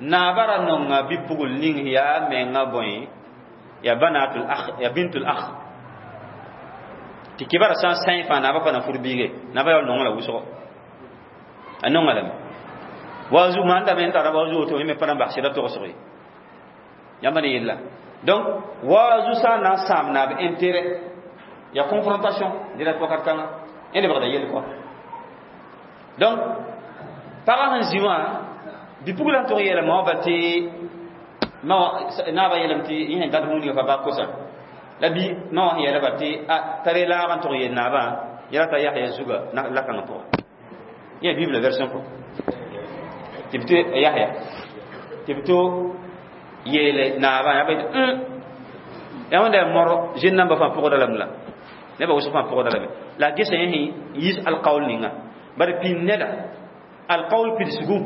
naabã ra nonga bi-pugl ning yaa menga bõe ya banatul akh ya bintul akh tɩ kibara sã n sãẽ fãa naabã pa na fur biige naabã yaool nongã la wʋsgo a nonga lame waazu maanda me n tara waazu woto me pa na n bas sɩda togsg ye yãmba ne yella donc waazu sã n na n sãam naab intérêt ya confrontation direct wakat kãngã yẽ lebgda yell kɔa donc pagã sẽn zĩ wã bi-pugla n tʋg yeelame wã bal tɩ naabã yeelame tɩ yẽ sẽn dat bũmb ninga fa ba kosa la bi ma wã sẽn yeela bal tɩ a tare laag n tʋg yeel naabã yɛla t'a Yahya zuga la-kãngã pʋga yẽ Bible version pʋga tɩ b tɩ Yahya tɩ b to yeele naabã yaa ba yetɩ yaa wẽnda yaa mor zĩnd nambã fãa pʋgda lame la nebã wʋsg fãa pʋgda lame la a gesa yẽ sẽn yis alqaul ninga bari pĩnd neda alqaul pidsgu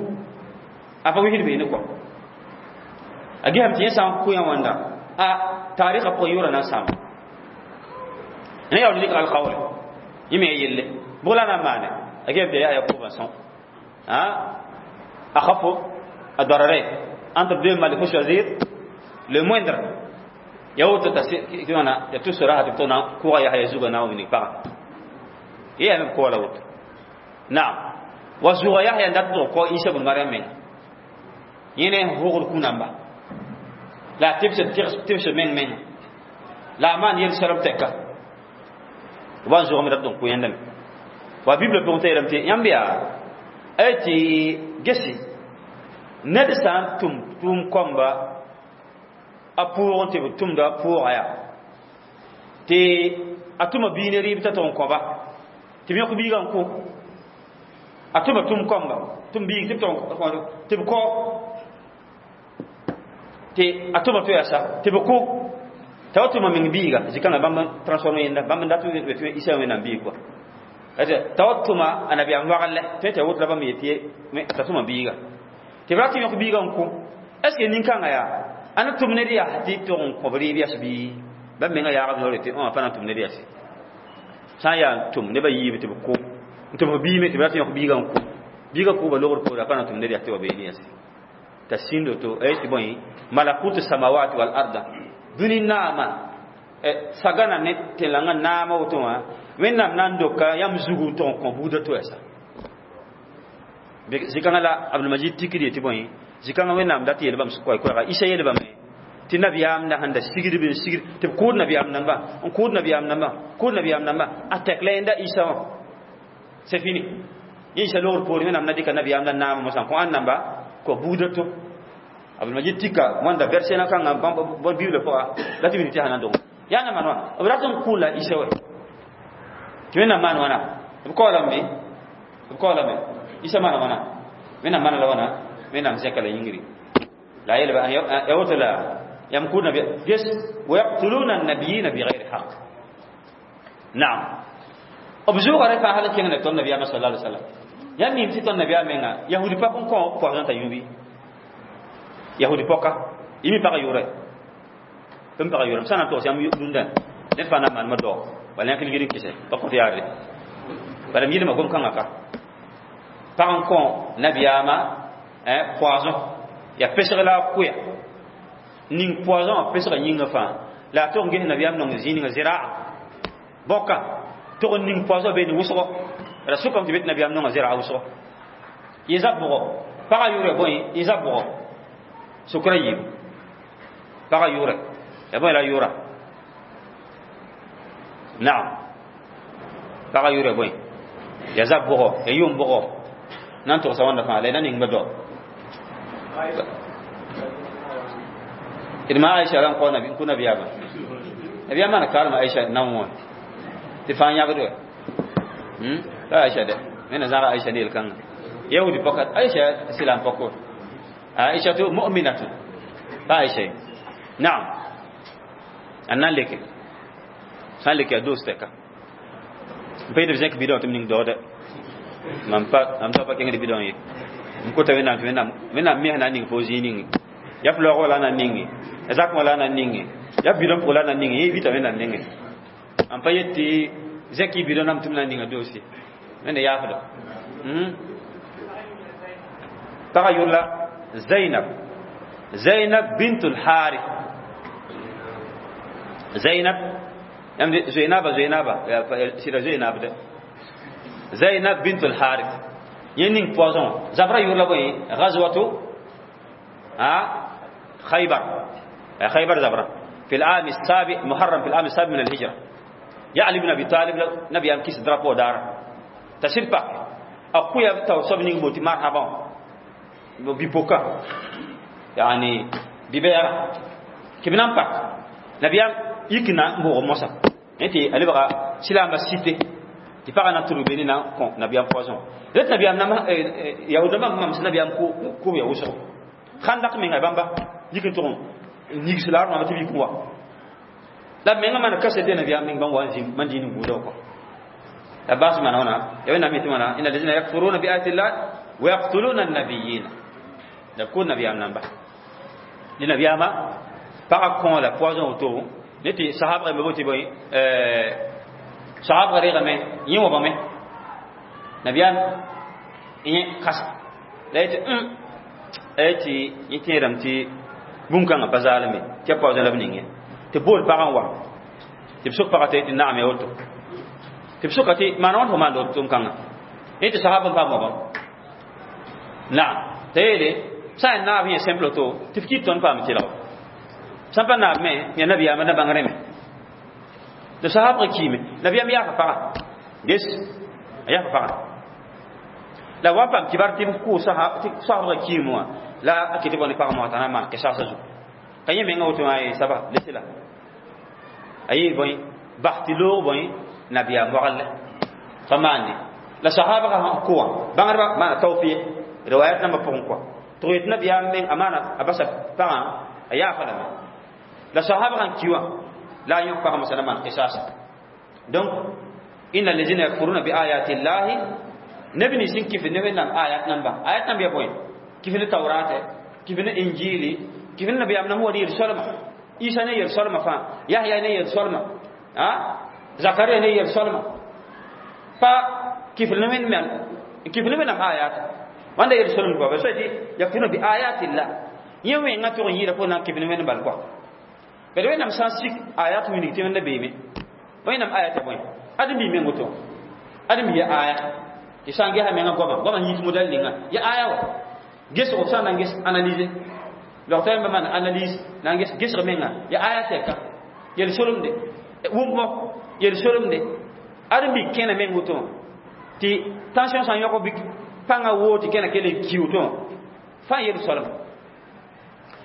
a pa wisd beene kɔ a gesame tɩ yẽ sã n kʋ yã wãnda a taarikã pʋgẽ yʋʋra na n sãama ne yaool dɩk alqaule yẽ me ya yelle Bʋg la na n maane a gem tɩ yaa ya kʋʋbã sõm أخف الضررين entre deux mal il faut choisir le moindre ya woto ta tɩ ya tusra tɩ b na kʋga ya ya zuga na wini paga ya me ko la woto naam wa zuga yahya ndat to ko isa ibn maryam men yene hogol kunamba la tibse tibse men men la man yel salam tekka wa zuga mi dat don ko yendam wa bible pe on tɩ yãmb yaa tɩ gesi ned sã n tʋm tʋʋm kõmba a pʋʋgẽ tɩ b tʋmda pʋʋga yaa tɩ a tʋma bii ne rɩɩb t'a tʋg n kõba tɩ b yõk biigã n kʋ a tʋma tʋm kõmba tʋm biig tɩ b tʋg tɩ b kõ tɩ a tʋma to yaa sa tɩ b kʋ t'a wa tʋma meng biiga zikãngã bãmb transforme yẽnda bãmb n dat tɩ isa wẽnnaam biig kɔa t'a wa tʋma a nabiyaam wagl tõe tɩ a woto la bãmb yetɩ t'a tʋma biiga tɩ b rat n yõk biigã n kʋ est ce que nin-kãngã yaa a na tʋm ned yaa tɩ tog n kõb rɩɩb yas bɩ bãmb menga yaagb noore tɩ a pa na n tʋm ned yase sã n yaa n tʋm nebã yiib tɩ b kʋ n tʋm biime tɩ b rat n yõk biigã n kʋ biigã kʋʋba logr poore a pa na n tʋm ned yas tɩ wa beene yase t'a sĩndo to tɩ bõe malakut samawati wal arda dũni naama sagana ne tẽn-langã naama woto wã wẽnnaam na n doka yãmb zugu n tog n kõ buudã to yasa zikãngã la abdulmajid tikd yetɩ bõe zikãngã wẽnnaam dat yeel bãmb koɛ-koɛɛga isa yeel bame tɩ nabiyaam na sẽn da sigd b n sigd tɩ b kʋʋd nabiyaam namba n kʋʋd nabiyaam namba kʋʋd nabiyaam namba a tɛk la yẽnda isa wã c'est fini yẽ isa logr poore wẽnnaam na dɩka nabiyaam la naam mosã kõ ãn namba kõ buudã to abdulmajid tika wãnda verset na kãngã bõe bible pʋga la tɩ bɩ tɩ sã na n dong yaa na maan wã b rat n kʋʋla isa wɛ tɩ wẽnnaam maan wãna b kaoolame b kaoolame isa maana wãna wẽnnaam maana la wãna wẽnnaam zẽka la yĩngri la yelba ya woto la yam kʋʋd nabi ges ويقتلون النبيين بغير حق نعم b zʋʋga rẽ fãa hal n kẽng ne tõnd nabiyaamã sal alai wasallam yãmb mim tɩ tõnd nabiyaam menga yahudi pɔk n kõ poisson t'a yũ bɩ yahudi pɔka y mi pagã yʋʋrɛ b pagã yʋʋrɛ sã na n togs yãmb rũndã ned fãa na n maanema dao wala yãk ligd n kɩsɛ pa kõt yaarde bala m yɩlma gom-kãngã ka pag n kõ nabiyaamã poison ya pesg la a kʋya ning poison wã pesga yĩngã fãa la a tog n ges nabiyaam nong zĩig ninga zɩraa bõka tog n ning poison beene wʋsgo la sʋkame tɩ be tɩ nabiyaam nonga zɩraa wʋsgo yẽ zab bʋgɔ pagã yʋʋrɛ bõe yẽ zab bʋgɔ sokra yiib pagã yʋʋrɛ ya bõe la yʋʋra naam pagã yʋʋrɛ bõe ya zab bʋgɔ ya yʋʋm bʋgɔ na n togsa wãnda fãa la y na ning ba dao d ma aisha ran kõ nabi n kʋ nabiyaamã nabiyaam maana karem aisha nan wã tɩ fãa yãgd wɛ la aisha dɛ wẽnna zãga aisha ne yel-kãngã yahudi pɔka aisha silam pɔkɔ aisha to mu'minatu pa aisha ye naam a nan leke sã n leke a doos tɛka n pa yetɩ b zẽk bidõ tɩ m ning daoodɛ mam pa mam tao pa kẽngd bidõ ye n kota wẽnnaam tɩ wẽnnaam wẽnnaam mes na n ning fo zĩig ninge ya f laoog wala na n ninge ya zakẽ wala na n ninge ya bidõ pʋg la na n ninge yẽ vita wẽnnaam nengẽ n pa yet tɩ zẽk y bidõ nam tɩ m na n ninga doose wẽnda yaafda pagã yʋr la zainab zainab bintul harith zainab yãmb zoeenaba zoeenaba sɩda zoeenab de zainab bintul harith yẽ ning poison zabra yʋr la bõe gazwatu خيبر خيبر زبرة في العام السابع محرم في العام السابع من الهجرة يا علي بن ابي طالب نبي ام كيس درابو دار تشير باك اخويا تو سب نيغ بوتي مرحبا بيبوكا يعني بيبير كبنان باك نبي ام يكنا مبو موسى انت علي بغا سلام سيتي tɩ pagã na tʋrg beni na kõ nabiyaam poison ret nabiyaam nama yaoodãmbã mam sẽn nabiyaam kʋʋb ya wʋsgo khandak menga bãmba yik n tʋg n yigs la rõama tɩ b yik n wa la b menga maan kasete nabiyaam meng bãmb wa n zĩ man dĩin n gũuda kɔ la baas maana wãna ya wẽnnaam yetɩ wãna ina lazina yakfuruna bi ayati llah wa yaqtuluna annabiyina la b kʋʋd nabiyaam namba dɩ nabiyaamã pagã kõ la poison woto ne tɩ sahabga me bote bõe sahabga reegame yẽ wabame Nabiyaam yẽ kasa la yetɩ a yetɩ yẽ tẽedame tɩ bũmb-kãngã pa zaalme tɩ ya paoozẽ la b ning ye tɩ bool pagã n wa tɩ b sok pagã tɩ tɩ naam ya woto tɩ b soka tɩ maan wãn fo maand woto kãngã yẽ tɩ sahab n paam wabam naam t'a yeele sã n naab yẽ simple to tɩ f kɩt tõnd paam tɩlg sã n pa naab me ya nabiyaamã na bãng rẽme tɩ sahabg kiime nabiyaam yaafa pagã ges a yaafa pagã la wa paam kibar tɩ b kʋʋ sahabga kiime wã la a kɩ tɩ bõ ne pagã wã t'a na n maan kesaasã zugu ka yẽ menga woto wã ye saba lese la a yee bõe bas tɩ loog bõe nabiyaam wagl pa maande la sahabga sẽn kʋ wã bãngdbã maana tawfiq riwayat nambã pʋgẽ kɔa tɩ yetɩ nabiyaam meng a maana a basa pagã a yaafa lame la sahabga sẽn ki wã la a yõk pagã mosã na maan qisasa donc inna allazina yakfuruna bi ayati llahi neb nins sẽn kɩf ne wẽnnaam ayat namba ayat namba ya bõe kɩf ne taurate kɩf ne injili kɩf ne nabiyaam nam wa ne yel-soalma isa ne yel-soalma fãa yahya ne yel-soalma a zakaria ne yel-soalma pa kɩf ne wẽnnaam kɩf ne wẽnnaam ayat wãnda yel-soalm kɔa ba soa tɩ yakfuruna bi ayati llah yẽ wẽngã tʋg n yɩɩda fo na n kɩf ne wẽnd bal kɔa bad wẽnnaam sã n sik ayat wilg tɩ wẽnda beeme wẽnnaam ayat ya bõe ãdem bi meng woto ãdem bi ya aya tɩ sã n gesa menga goama goama yit modɛl ninga ya aya wa gesg f sã n na n ges analyse logta yãmba maan analyse na n ges gesg menga ya aya tɛka yel-solemde wʋmmo yel-solemde ãdem bi kẽna meng woto tɩ tension sã n yõk bɩ pãngã woo tɩ kẽna kell n ki woto wã fãa yel-soalem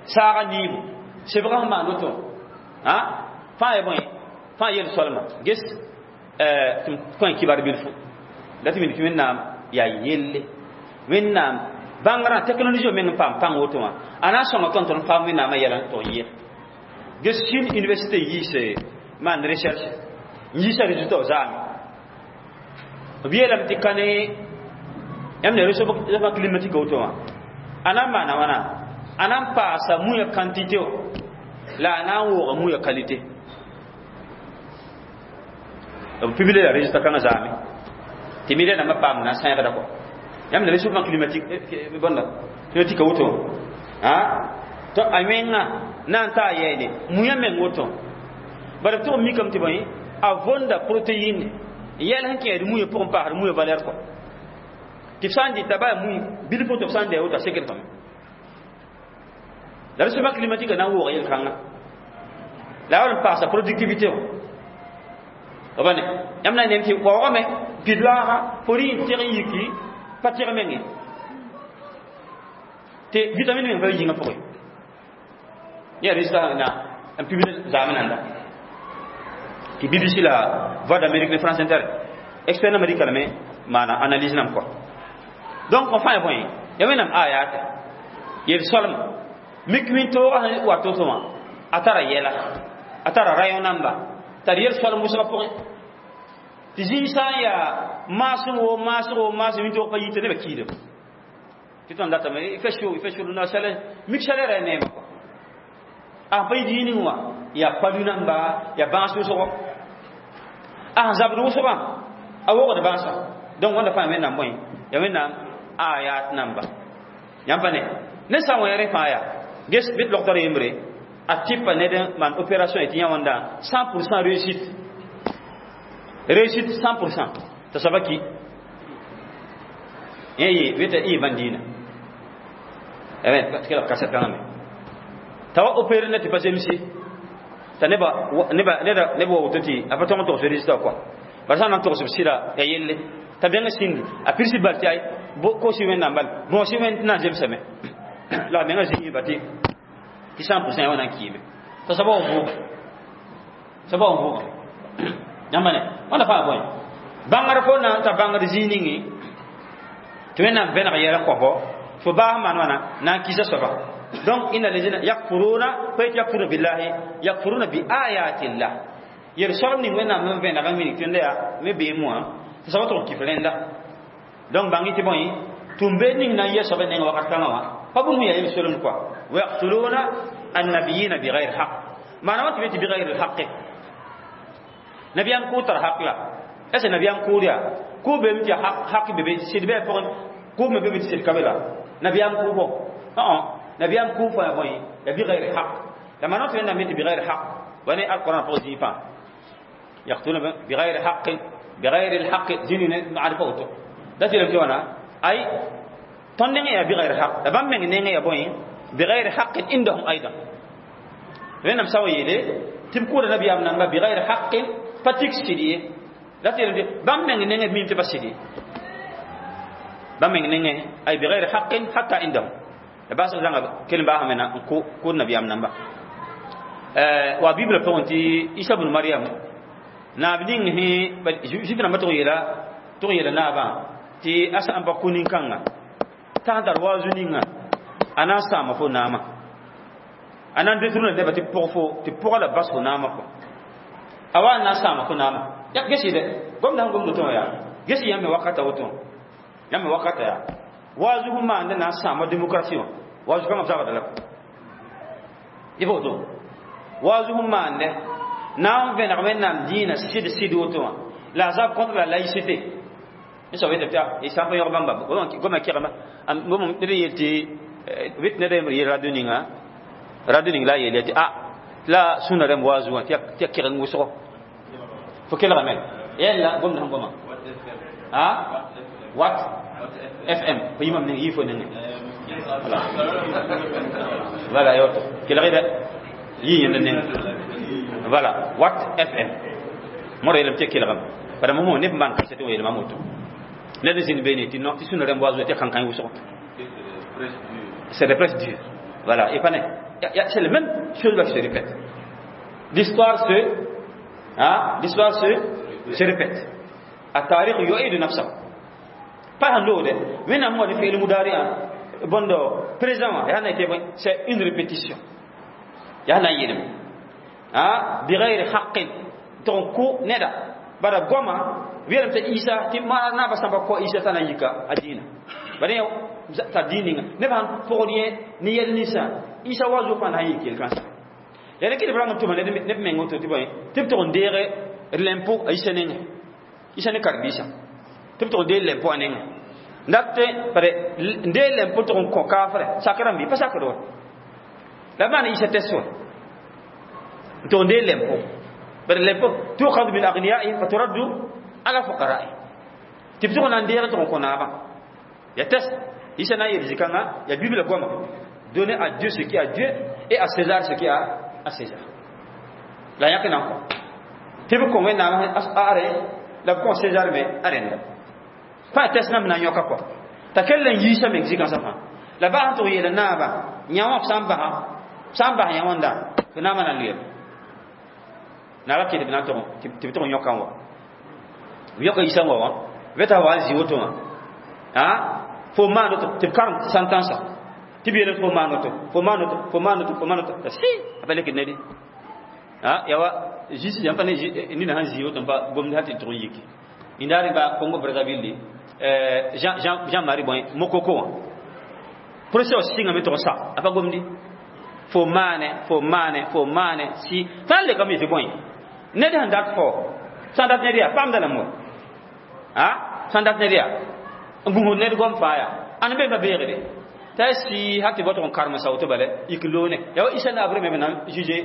saaga niibu sebgã sẽn maan woto a fãa ya bõe fãa yel-soalma ges tɩ m kõ kibar bilfu la tɩ mik tɩ wẽnnaam yaa yelle wẽnnaam bãngrã technologie meng n paam pãng woto wã a na n sõnga tõnd tõnd paam wẽnnaamã yɛla n tog yɩ ges Chine université yiis maan recherche n yiisa résultat zaame b yeelame tɩ ka ne yãmb ne réchauffement climatique woto wã a na n maana wãna a na n paasa muya quantité wã la a na n wooga muya qualité b publie la résultat kãngã zaame tɩ mi rẽndãmbã paam na n sãegda kɔ yãmb ne réchauffement climatique bõnda climatique woto a to a wẽnga na n taa yɛɛne muya meng woto bara b tʋg mikame tɩ bõe a võnda protéine yɛl sẽn kẽed muya pʋgẽ paasd muya valeur kɔ tɩ f sã n dɩta baa mui bilf tɩ f sã n dɛ woto a sekd fame la réchauffement climatique na n wooga yel-kãnga la a wall n paasa productivité wã ba ne yãmb na n nem tɩ waoogame pid-laaga fo rɩ n teg n yiki pa teg menge tɩ vitamine meng pa yĩngã pʋgẽ ya résultat na n publie zaame nanda tɩ B B C la Voix d'Amérique ne France Inter expert américain lame maana analyse nam kɔ donc fãa ya bõe ya wẽnnaam ayate yel-soalma mik wĩntoogã sẽn wa to-to wã a tara yɛla a tara rayon namba tar yel-soalm wʋsgã pʋgẽ tɩ zĩig sã n yaa maasem wo maasg wo maasem wĩntoog pa yita nebã kiidem tɩ tõnd datame il fait chaud, il fait chaud na chaleur mik chaleur ya neema kɔ a pa yit yĩning wã yaa palu namba yaa bãas wʋsgo a sẽn zabd wʋsgã a wogd bãasã donc wãnda fãa wẽnnaam bõe ya wẽnnaam ayat namba yãmb pa ne ne sã n wã rẽ fãa yaa ges bɩ logtr yembre a tɩpa ned n maan opération tɩ yã wãnda cent pour cent réussite, réussite cent pour cent t'a soaba ki yẽ yɩ weta y bãn diinã kaset kãngã me t'a wa opérer ne tɩ pa zemse t'a neba neba neba wa woto tɩ a pa tõg n togs résultat kɔa bara sã n na n togs b sɩda ya yelle t'a bẽng sĩndi a pirsi bal tɩ ay kosi wẽnnaam bal bõosi wẽnd na n zemsame la a menga zĩig ba tɩ tɩ cent pour cent ya wã na n kiime t'a soaba wa vʋʋge soaba wa vʋʋge yãmba ne wãnda fãa bõe bãngr fo na n ta bãngd zĩig ninge tɩ wẽnnaam vẽneg yɛl n kõ fo baas maan wãna na n kisa soaba donc inna lezina yakfuruna pa yet yakfuruna billahi yakfuruna bi ayatillah yel soalem ning wẽnnaam n vẽneg n minig tɩ yaa me beem wã tɩ soaba tʋg n kif rẽnda donc bãng tɩ bõe tũm-beed ning na n yɛ soaba neng wakat kãngã wã pa bũmb yaa yel solem kɔa wa yaqtuluna annabiyina bigayri haq maana wã tɩ be tɩ bigayri lhaqe nabiyaam kʋʋ tar haq la est ce nabiyaam kʋʋd yaa Ko be mi hak be sɩd bɩ pʋgẽ kʋʋb me be mi tɩ sɩd ka be la nabiyaam kʋʋbɔ õ nabiyaam kʋʋb fãa bõe ya بغير حق. La maan tɩ Wẽnnaam yetɩ بغير حق wa ne alquran pʋgẽ zĩig fãa يقتلون بغير حق بغير الحق zĩnig ne maarifa woto da tɩ tɩ wãna ay tõnd nengẽ yaa بغير حق la bãmb meng nengẽ yaa bõe بغير حق عندهم أيضا. Wẽnnaam sã wa yeele tɩ b kʋʋda nabiyaam namba بغير حق pa tik sɩd ye la tɩ yeelame bãmb meng nengẽ mim tɩ pa sɩd ye bãmb meng nengẽ ay بغير حق حتى عندهم la baasg zãnga kell n baasame na n kʋʋd nabiyaam namba wa bibla pʋgẽ tɩ Isa bn Mariam naab ning sẽ Zuif rãmbã tʋg yeela tʋg yeela naabã tɩ a sã n pa kũ nin-kãnga t'a sẽn tar waazu ninga a na n sãama fo naamã a na n détourne neba tɩ pʋg fo tɩ pʋga la bas fo naamã kɔ a wa n na n sãama fo naamã ya ges dɛ gomda sẽn gomd woto wã yaa ges yãmb me wakata woto yãmb me wakata yaa waazu sẽn maand na n sãama démocratie wã waazu kãngã b zabda la yɩ woto waazu sẽn maande na n vẽneg Wẽnnaam dĩinã sɩd sɩd woto wã la a zab contre la laïcité n soab yetame tɩ sã n pa yõg bãmba goma kegma ned n yel tɩ vɩt ned yembr yel radio ninga radio ning la a yeel tɩ a la sũna rãmb waazu wã tɩ ya keg n wʋsgo fo kelgame yella gomd sẽn goma a Wat F M fo yimam ning yii fo nengẽ voilà voilà yoto kelg dɛ yii yẽnd neng voilà Wat F M mora yeelame tɩ kelgame bara mo neb maan kaset n yeelma moto ned n zĩnd beene tɩ non tɩ sũna rãmb waazu tɩ kãnkã wʋsgo. C'est des prêches durs, voilà. Et pas, c'est la même chose qui se répète. L'histoire se hein, l'histoire se se répète. التاريخ يعيد نفسه pa sãn loogde Wẽnnaam wa فعل مضارع bõndo présent wã yaa na tɩ c'est une répétition yaa na n yeelame بغير حق tɩg n kʋ neda bara goama weelame t'a Isa tɩ naabã sã n pa kõ Isa t'a na n yika a dĩinã bara t'a dĩin ninga neb sãn pʋgd yẽ ne yɛl ninsã Isa wa zo fãa na n yik yel-kãnsã ya ne kɩ b rang n tʋma neb meng woto tɩ bõe tɩ b tʋg n deege lɛmpo a Isa nengẽ Isa ne karen-biisã tɩ b tʋg n deeg lɛmpo a nengẽ dat bare n deeg lɛmpo tʋg n kõ kaafrɛ sak rãmb pa sakd wa la maana Isa tɛs wa n tʋg n deeg lɛmpo bare lɛmpo تؤخذ من أغنيائهم فترد على فقرائهم tɩ b tʋg n na n deeg tʋg n kõ naabã ya tɛs Isa na n yel zĩ-kãngã ya Bibla goama donner à Dieu ce qui est à Dieu et à César ce qui est à César. La yãk nan kõ tɩ b kõ Wẽnnaam are la b kõ César me a rẽnda pa tɛs nãmb na n yõka kɔ t'a kell n yiisa meng zĩ-kãnsã fãa la baa sẽn tʋg yeela naabã yã wã b sã n basa sã n bas yã wãnda tɩ naamã na n lʋyame naabã kɩ tɩ b na n tʋg tɩ b tʋg n yõka n wa b yõka Isa n wa wã veta wa n zĩ woto wã a fo maan woto tɩ b karem sentence tɩ b yeelame fo maan woto fo maan woto fo maan woto fo maan woto t'a sɩ a pa lekd ned a yawa justice yãmb pa ne nina sãn zĩ woto n pa gomd sã tɩ tʋg n yiki indaare ba Congo Brazzaville Jean Jean Jean Marie bõe Mokoko wã procès wã sɩngame tʋg n sa a pa gomdi fo maane fo maane fo maane si sã n lekame tɩ bõe ned sẽn dat fo sã n dat ned yaa paamda lame wa a sã n dat ned yaa n gũsd ned gom faa yaa ãn be pa beegde t'a si ha tɩ bao tʋg n karem sa woto bala yik loone yaa wa Hissène Habré me na juge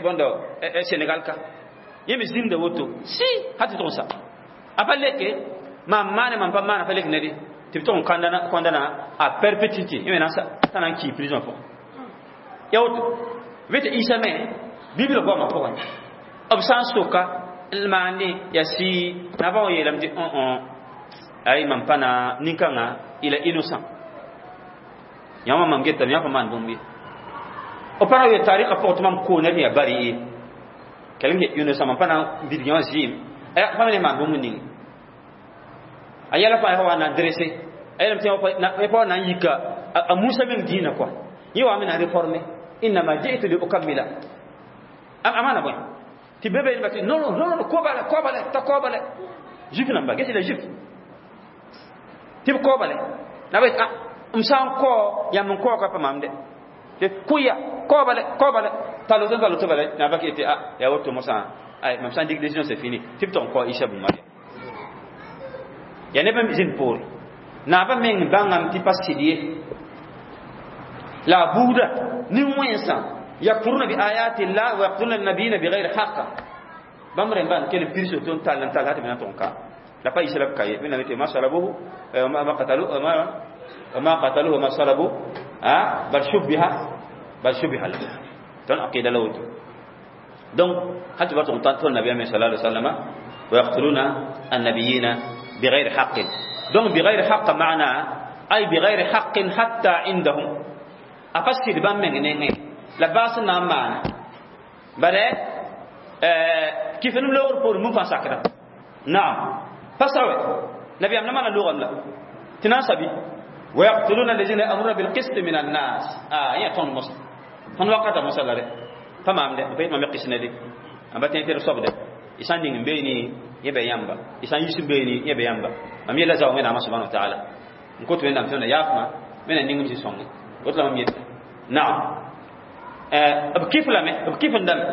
bõndo Sénégal ka yẽ me zĩnda woto si ha tɩ tʋg n sa a pa leke mam maane mam pa maana pa lek nede tɩ b tʋg n condamner à perpétuité yẽ me na t'a na n kii prison pʋgẽ ya woto be tɩ Isa me Bibl goamã pʋgẽ b sã n soka n maande yaa sɩ nabã wã yeelame tɩ ay mam pa na nin-kãngã il est innocent yãmb mam getame yã pa maan bũmb ye b pa ra tarɩkã pʋgẽ tɩ mam koo ned yaa bari ye kelem innocent mam pa na n bilg yã zɩɩm pa me ne maan bũmb ning a yɛla fãa wa na dressé a yeelame tɩ pa wa na n yika a Musa meng dĩinã kɔa yẽ wa me na réformer إنما جئت لأكمل a maana bõe tɩ be be tɩ non non non koobale koobale t'a koobale Juif namba gese la Juif tɩ b koobale na ba ah m sã n kao yãmb n kaooga pa mam de kʋya koobale koobale t'a loto t'a loto bala na ba tɩ ah yaa woto mosã ay mam sã n dig décision, c'est fini tɩ b tʋg n kao Isa bn Maria. Ya neb n zĩnd poore naabã meng bãngame tɩ pa sɩd ye la a buuda nin-wẽnsã yakfuruna bi ayati llah wa yaqtuluna nabiyina bigayri haqa bãmb rẽmba n kell n pirs woto n tall n tall tɩ b na n tʋg n ka la pa yis la b ka ye wẽnnaam tɩ ma salabuhu ma qatalu ma qataluhu ma salabu bal shubbiha bal shubbiha lahu tõnd aqida la woto donc hal tɩ ba tʋg n tõnd nabiyaam sala alai wasallama wa yaqtuluna annabiyina bigayri haqin donc bigayri haqa maana ay bigayri haqin hatta indahum a pa sɩd bãmb meng nengẽ la baas n na n maana bala kɩf-nem loogr poorẽ mum fãa sakda naam pa sawe nabiyaam na maana loogame la tɩ na n sabi ويقتلون الذين يأمرون بالقسط من الناس آه يا تون مصر tõnd wakata mosã la rɛ pa maamde b pa yet mam qis ne de a ba tẽ tɩ d soabde y sã n ning n beene yẽ bɩ yãmba y sã n yis n beene yẽ bɩ yãmba mam yella zao wẽnnaamã subhana wa taala n kot wẽnnaam tɩ wẽnna yaafma wẽnna ning m zĩ-sõnge woto la mam yeta naam b kɩf lame b kɩf n dame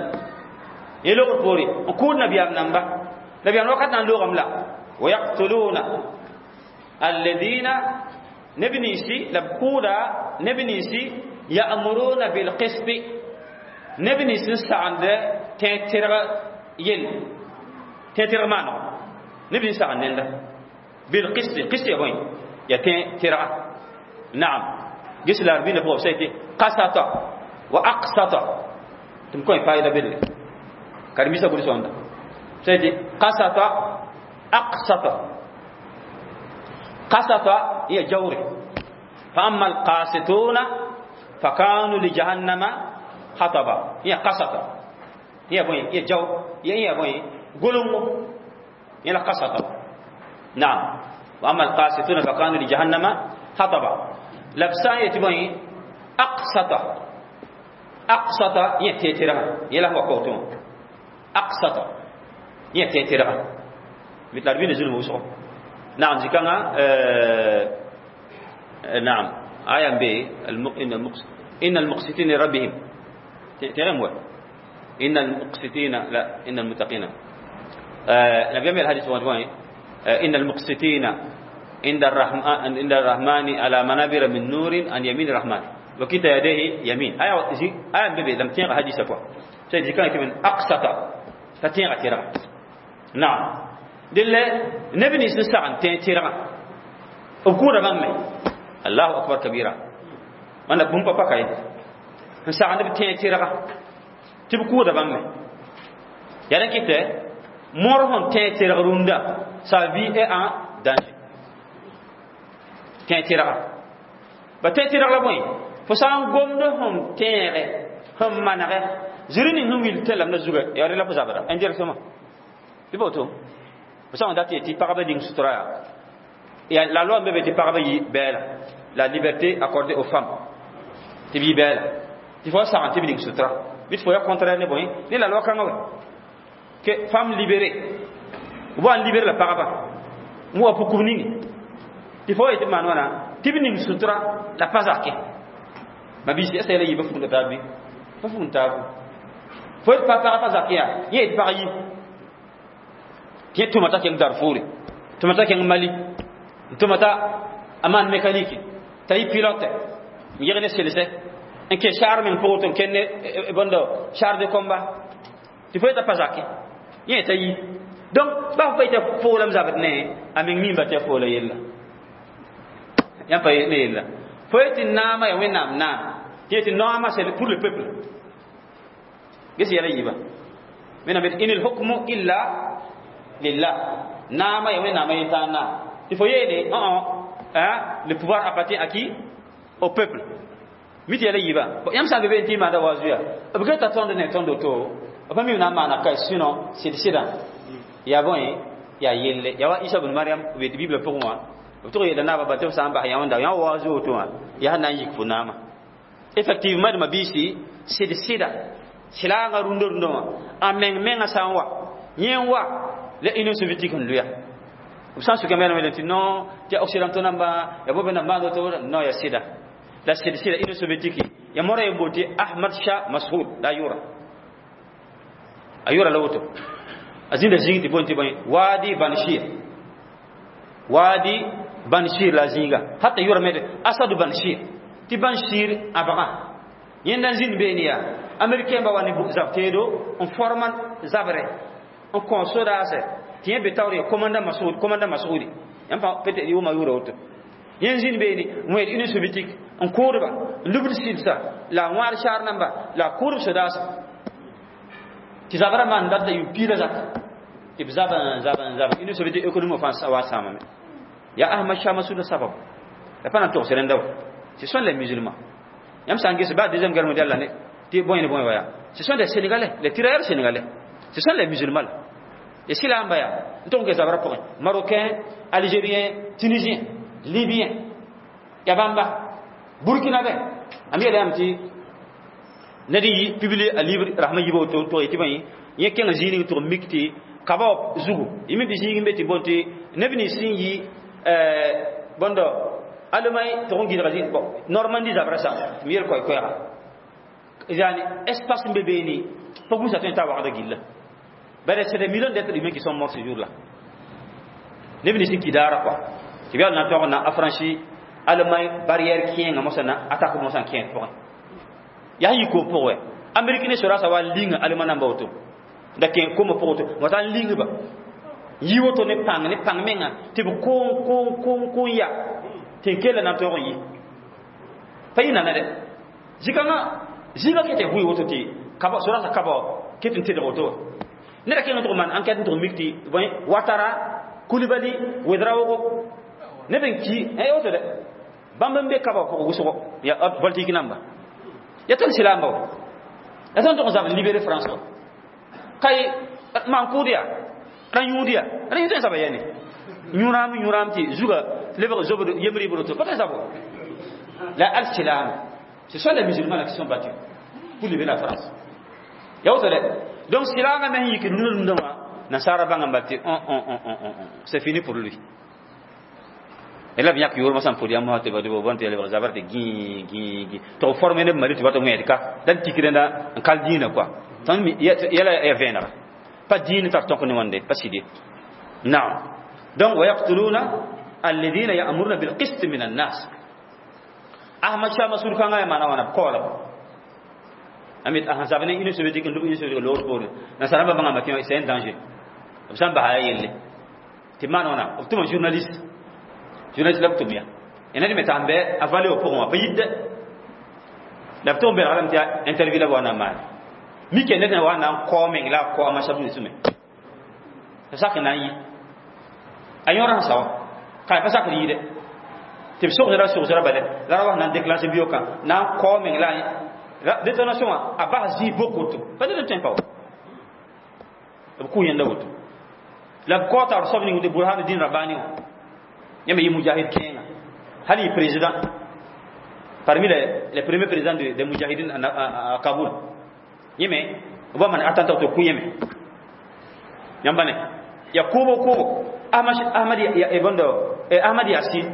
yẽ logr poore n kʋʋd nabiyaam namba nabiyaam wakat na n loogame la ويقتلون الذين neb ninsi la b kʋʋda neb ninsi يأمرون بالقسط neb nins n sagend tẽ tɩrg yell tẽ tɩrg maanego neb nins sagend nenda بالقسط قسط ya bõe ya tẽ tɩrga naam ges la r bĩnda pʋgã b sa tɩ قسط وأقسط tɩ m kõ faɩda bedre karen-biisã gʋls wãnda sa tɩ قسط أقسط قسط هي جوري فأما القاسطون فكانوا لجهنم حطبا هي قسط هي بوين هي جو هي بوين قلم هي قسط نعم وأما القاسطون فكانوا لجهنم حطبا لبسان يتبوين أقسط أقسط هي تيترا هي له وقوتون أقسط هي تيترا مثل أربعين نزول موسى نعم زكانا آه نعم آية ب إن المقس إن المقسطين لربهم تغم إن المقسطين لا إن المتقين آه نبي الحديث وين آه إن المقسطين عند الرحمن عند الرحمن على منابر من نور عن يمين الرحمن وكلتا يديه يمين آية آية بيبي لم تنغ حديث كوا سيدي كان من أقسط فتنغ تيرا نعم دل نبني سنسعن تيرا أبكورة بامي الله أكبر كبيرا أنا بوم بابا كاي سعن نبي تيرا تبكورة بامي يعني كده مورهن تيرا روندا sa vie est en danger tẽ tɩrga ba tẽ tɩrg la bõe fo sã n gomd sẽn tẽege sẽn manege zĩri ning sẽn wil tẽn lamda zuga yaa rẽ la fo zabra indirectement tɩ pa woto fo sã n dat tɩ pagba ning sutura yaa la loi n be be tɩ pagba yi bɛɛla la liberté accordée aux femmes tɩ b yi bɛɛla tɩ fo sagn tɩ b ning sutura bɩ tɩ fo ya contraire ne bõe ne la loi kãngã wɛ que femme libérée b wa n libéré la pagba n wa pukb ninge tɩ fo yetɩ maan wãna tɩ b ning sutura la pa zake mabiisi asa yɛla yiibã fugda taab bɩ pa fugd taab fo yet pa pag pa zak yaa yẽ yetɩ pag yi tɩ yẽ tʋma t'a kẽng Darfoure tʋma t'a kẽng Mali n tʋma t'a a maan mécanique t'a yɩ pilote n yeg ne selse n kẽ saar meng pʋgẽ tɩ n kẽnd ne bõndo char de combat tɩ fo yet'a pa zake yẽ t'a yi donc ba fo pa yetɩ foolame zabd ne a meng mimba tɩ a foola yella yãmb pa ne yella fo yetɩ naamã ya wẽnnaam naam tɩ yetɩ naamã c'est pour le peuple ges yɛla yiiba wẽnnaam yetɩ إن الحكم إلا لله naamã ya wẽnnaamã yentãag naam tɩ fo yeele le pouvoir appartient à qui au peuple mi tɩ yɛla yiiba yãmb sã n be be n tɩ maanda wa zuya b geta tõnd ne tõnd woto b pa mi na n maana ka sinon sɩd sɩdã yaa bõe yaa yelle yaa wa isa bn mariam b yetɩ biblã pʋgẽ wã b tʋg yeela naabã ba tɩ b sã n bas yã wẽnda yã wa zu woto wã yaa na n yik fo naamã effectivement d mabiisi sɩd sɩda sɩlaagã rũndã rũndã wã a meng mengã sã n wa yẽ n wa la union soviétique n loya b sã n sʋka me tɩ non tɩ occidentaux namba ya bo namba maand woto non ya sɩda la sɩd sɩda union soviétique ya mora ye booti ahmad shah mashoud la a yʋra a yʋra la woto a zĩnda zĩig tɩ boond tɩ bõe wadi Panjshir Wadi Banshir la zĩiga hata yʋrame Asadu Banshir tɩ Banshir a bagã yẽnda n zĩnd beene yaa Américain ba wa ne zab teedo n forma zabrɛ n kõ sodaasɛ tɩ yẽ be taoor yaa commandant Masoud, commandant Masoudi yãmb pa peut-être yʋʋma yʋʋra woto. Yẽ zĩnd beene n wẽed Union soviétique n kʋʋdba n lubd sɩlsa la a wãad saar namba la a kʋʋdb sodaasã tɩ zabrã maan dat la yʋʋm piig la zaka tɩ b zab n zab n zab Union soviétique économie fãa wa sãamame. Ya Ahmad Shah Massoud sabab la pa na n togs rẽnda wa. Ce sont les musulmans. Yãmb sã n ges ba Deuxième Guerre mondiale la ne tɩ bõe ne bõe wa yaa, ce sont des Sénégalais, les tirailleurs sénégalais, ce sont les musulmans là. Et si la n ba yaa n tʋg n ges zabrã pʋgẽ, Marocain, Algérien, Tunisien, Libyen, ya bãmba Burkinabé am yeela yãmb tɩ ned n yi publier a livre rasmã yiba woto tʋg tɩ bõe yẽ kẽng zĩig ning tʋg n mik tɩ kaba wã zugu yẽ tɩ zĩig n be tɩ bõn tɩ neb nins sẽn yi bõndo Allemagne tʋg n gɩdga zĩ bon Normandie zabrã sã tɩ m yel koɛɛ-koɛɛga yani espace n be beene pa gũsa tõe n t'a wagda gilla. Bare c'est des millions d'êtres humains qui sont morts ce jour-là. Neb nins sẽn ki daara quoi tɩ b yaa na tog na affranchi Allemagne barrière kẽenga mosã na attaque mosã n kẽed pʋgẽ yaa sẽn yi koom pʋgẽ wɛ Amérique ne sodaasã wa linga Allemagne namba woto da kẽ koma pʋgẽ woto wata n ling ba yi woto ne pãng ne pãng menga tɩ b koom koom koom koom ya tɩ n kella na n tõog n yi pa yɩ nana dɛ zikãngã zĩiga ket tɩ bũi woto tɩ kaba sodaasã kaba ket n tedg woto wa neda kẽng n tʋg maan enquête n tʋg mik tɩ bõe Watara Kulibali Wedraogo neb n ki woto dɛ bãmb n be kaba pʋgẽ wʋsgo ya politique namba ya tõnd silaamba wa ya tõnd tʋg n zab n libérer France wa kay maan kʋʋd yaa rã yũud yaa rã yũ tõe n zaba ya ne yũraam yũraam tɩ zuga lebg zobd yembr yibr to pa tõe n zab wa la al silaam. Ce sont les musulmans là qui sont battus pour libérer la France ya woto dɛ. Donc silaangã me sẽn yik rũndã rũndã wã nasaara bãnga n bal tɩ c'est fini pour lui. La b yãk yoormã sã n pʋd yãmb tɩ bõn tɩ lebg zabr tɩ gĩ gĩ gĩ tɩ b forme neb Mali tɩ ba tɩ wẽed ka la d tik rẽnda n kal dĩinã quoi tõnd yɛla ya vẽenega pa dĩin tar tõk ne wãnde pa sɩd ye. Naam, donc ويقتلون الذين يأمرون بالقسط من الناس. Ahmad Shah Masud kãngã yaa maana wãna b kaoola amit a sẽn zab ne Union soviétique n lub Union soviétique loor poore nasaarãmbã bãngame tɩ c'est un danger b sã n basa yaa yelle tɩ maan wãna b tʋma journaliste journaliste la b tʋm ya ya ned me t'a n bɩ a vallée wã pʋgẽ wã pa yit dɛ la b tʋg n belga lame tɩ interview la b wa na n maane mike ned wa na n kao meng la a kao a masab sũme tɩ sak n na n yi a yõor sẽn sa wa ka pa sakr yɩɩdɛ tɩ b sogsra sogsra bale la ra wa na n déclencher biokã na n kao meng la détonation wã a bas zĩig bok woto pa ned n tõe n pa wa b kʋ yẽnda woto la b kao taoor soab ning tɩ Burhanuddin Rabbani wã yãmb yɩ mujahid kẽenga hal yɩ président parmi les, les premiers présidents de, des moudjahidines à, à, à Kaboul. Yẽme b wa man attentat to kʋ yẽme yãmba ne ya kʋʋbo kʋʋbo Ahmad Ahmad ya bondo Ahmad Yasin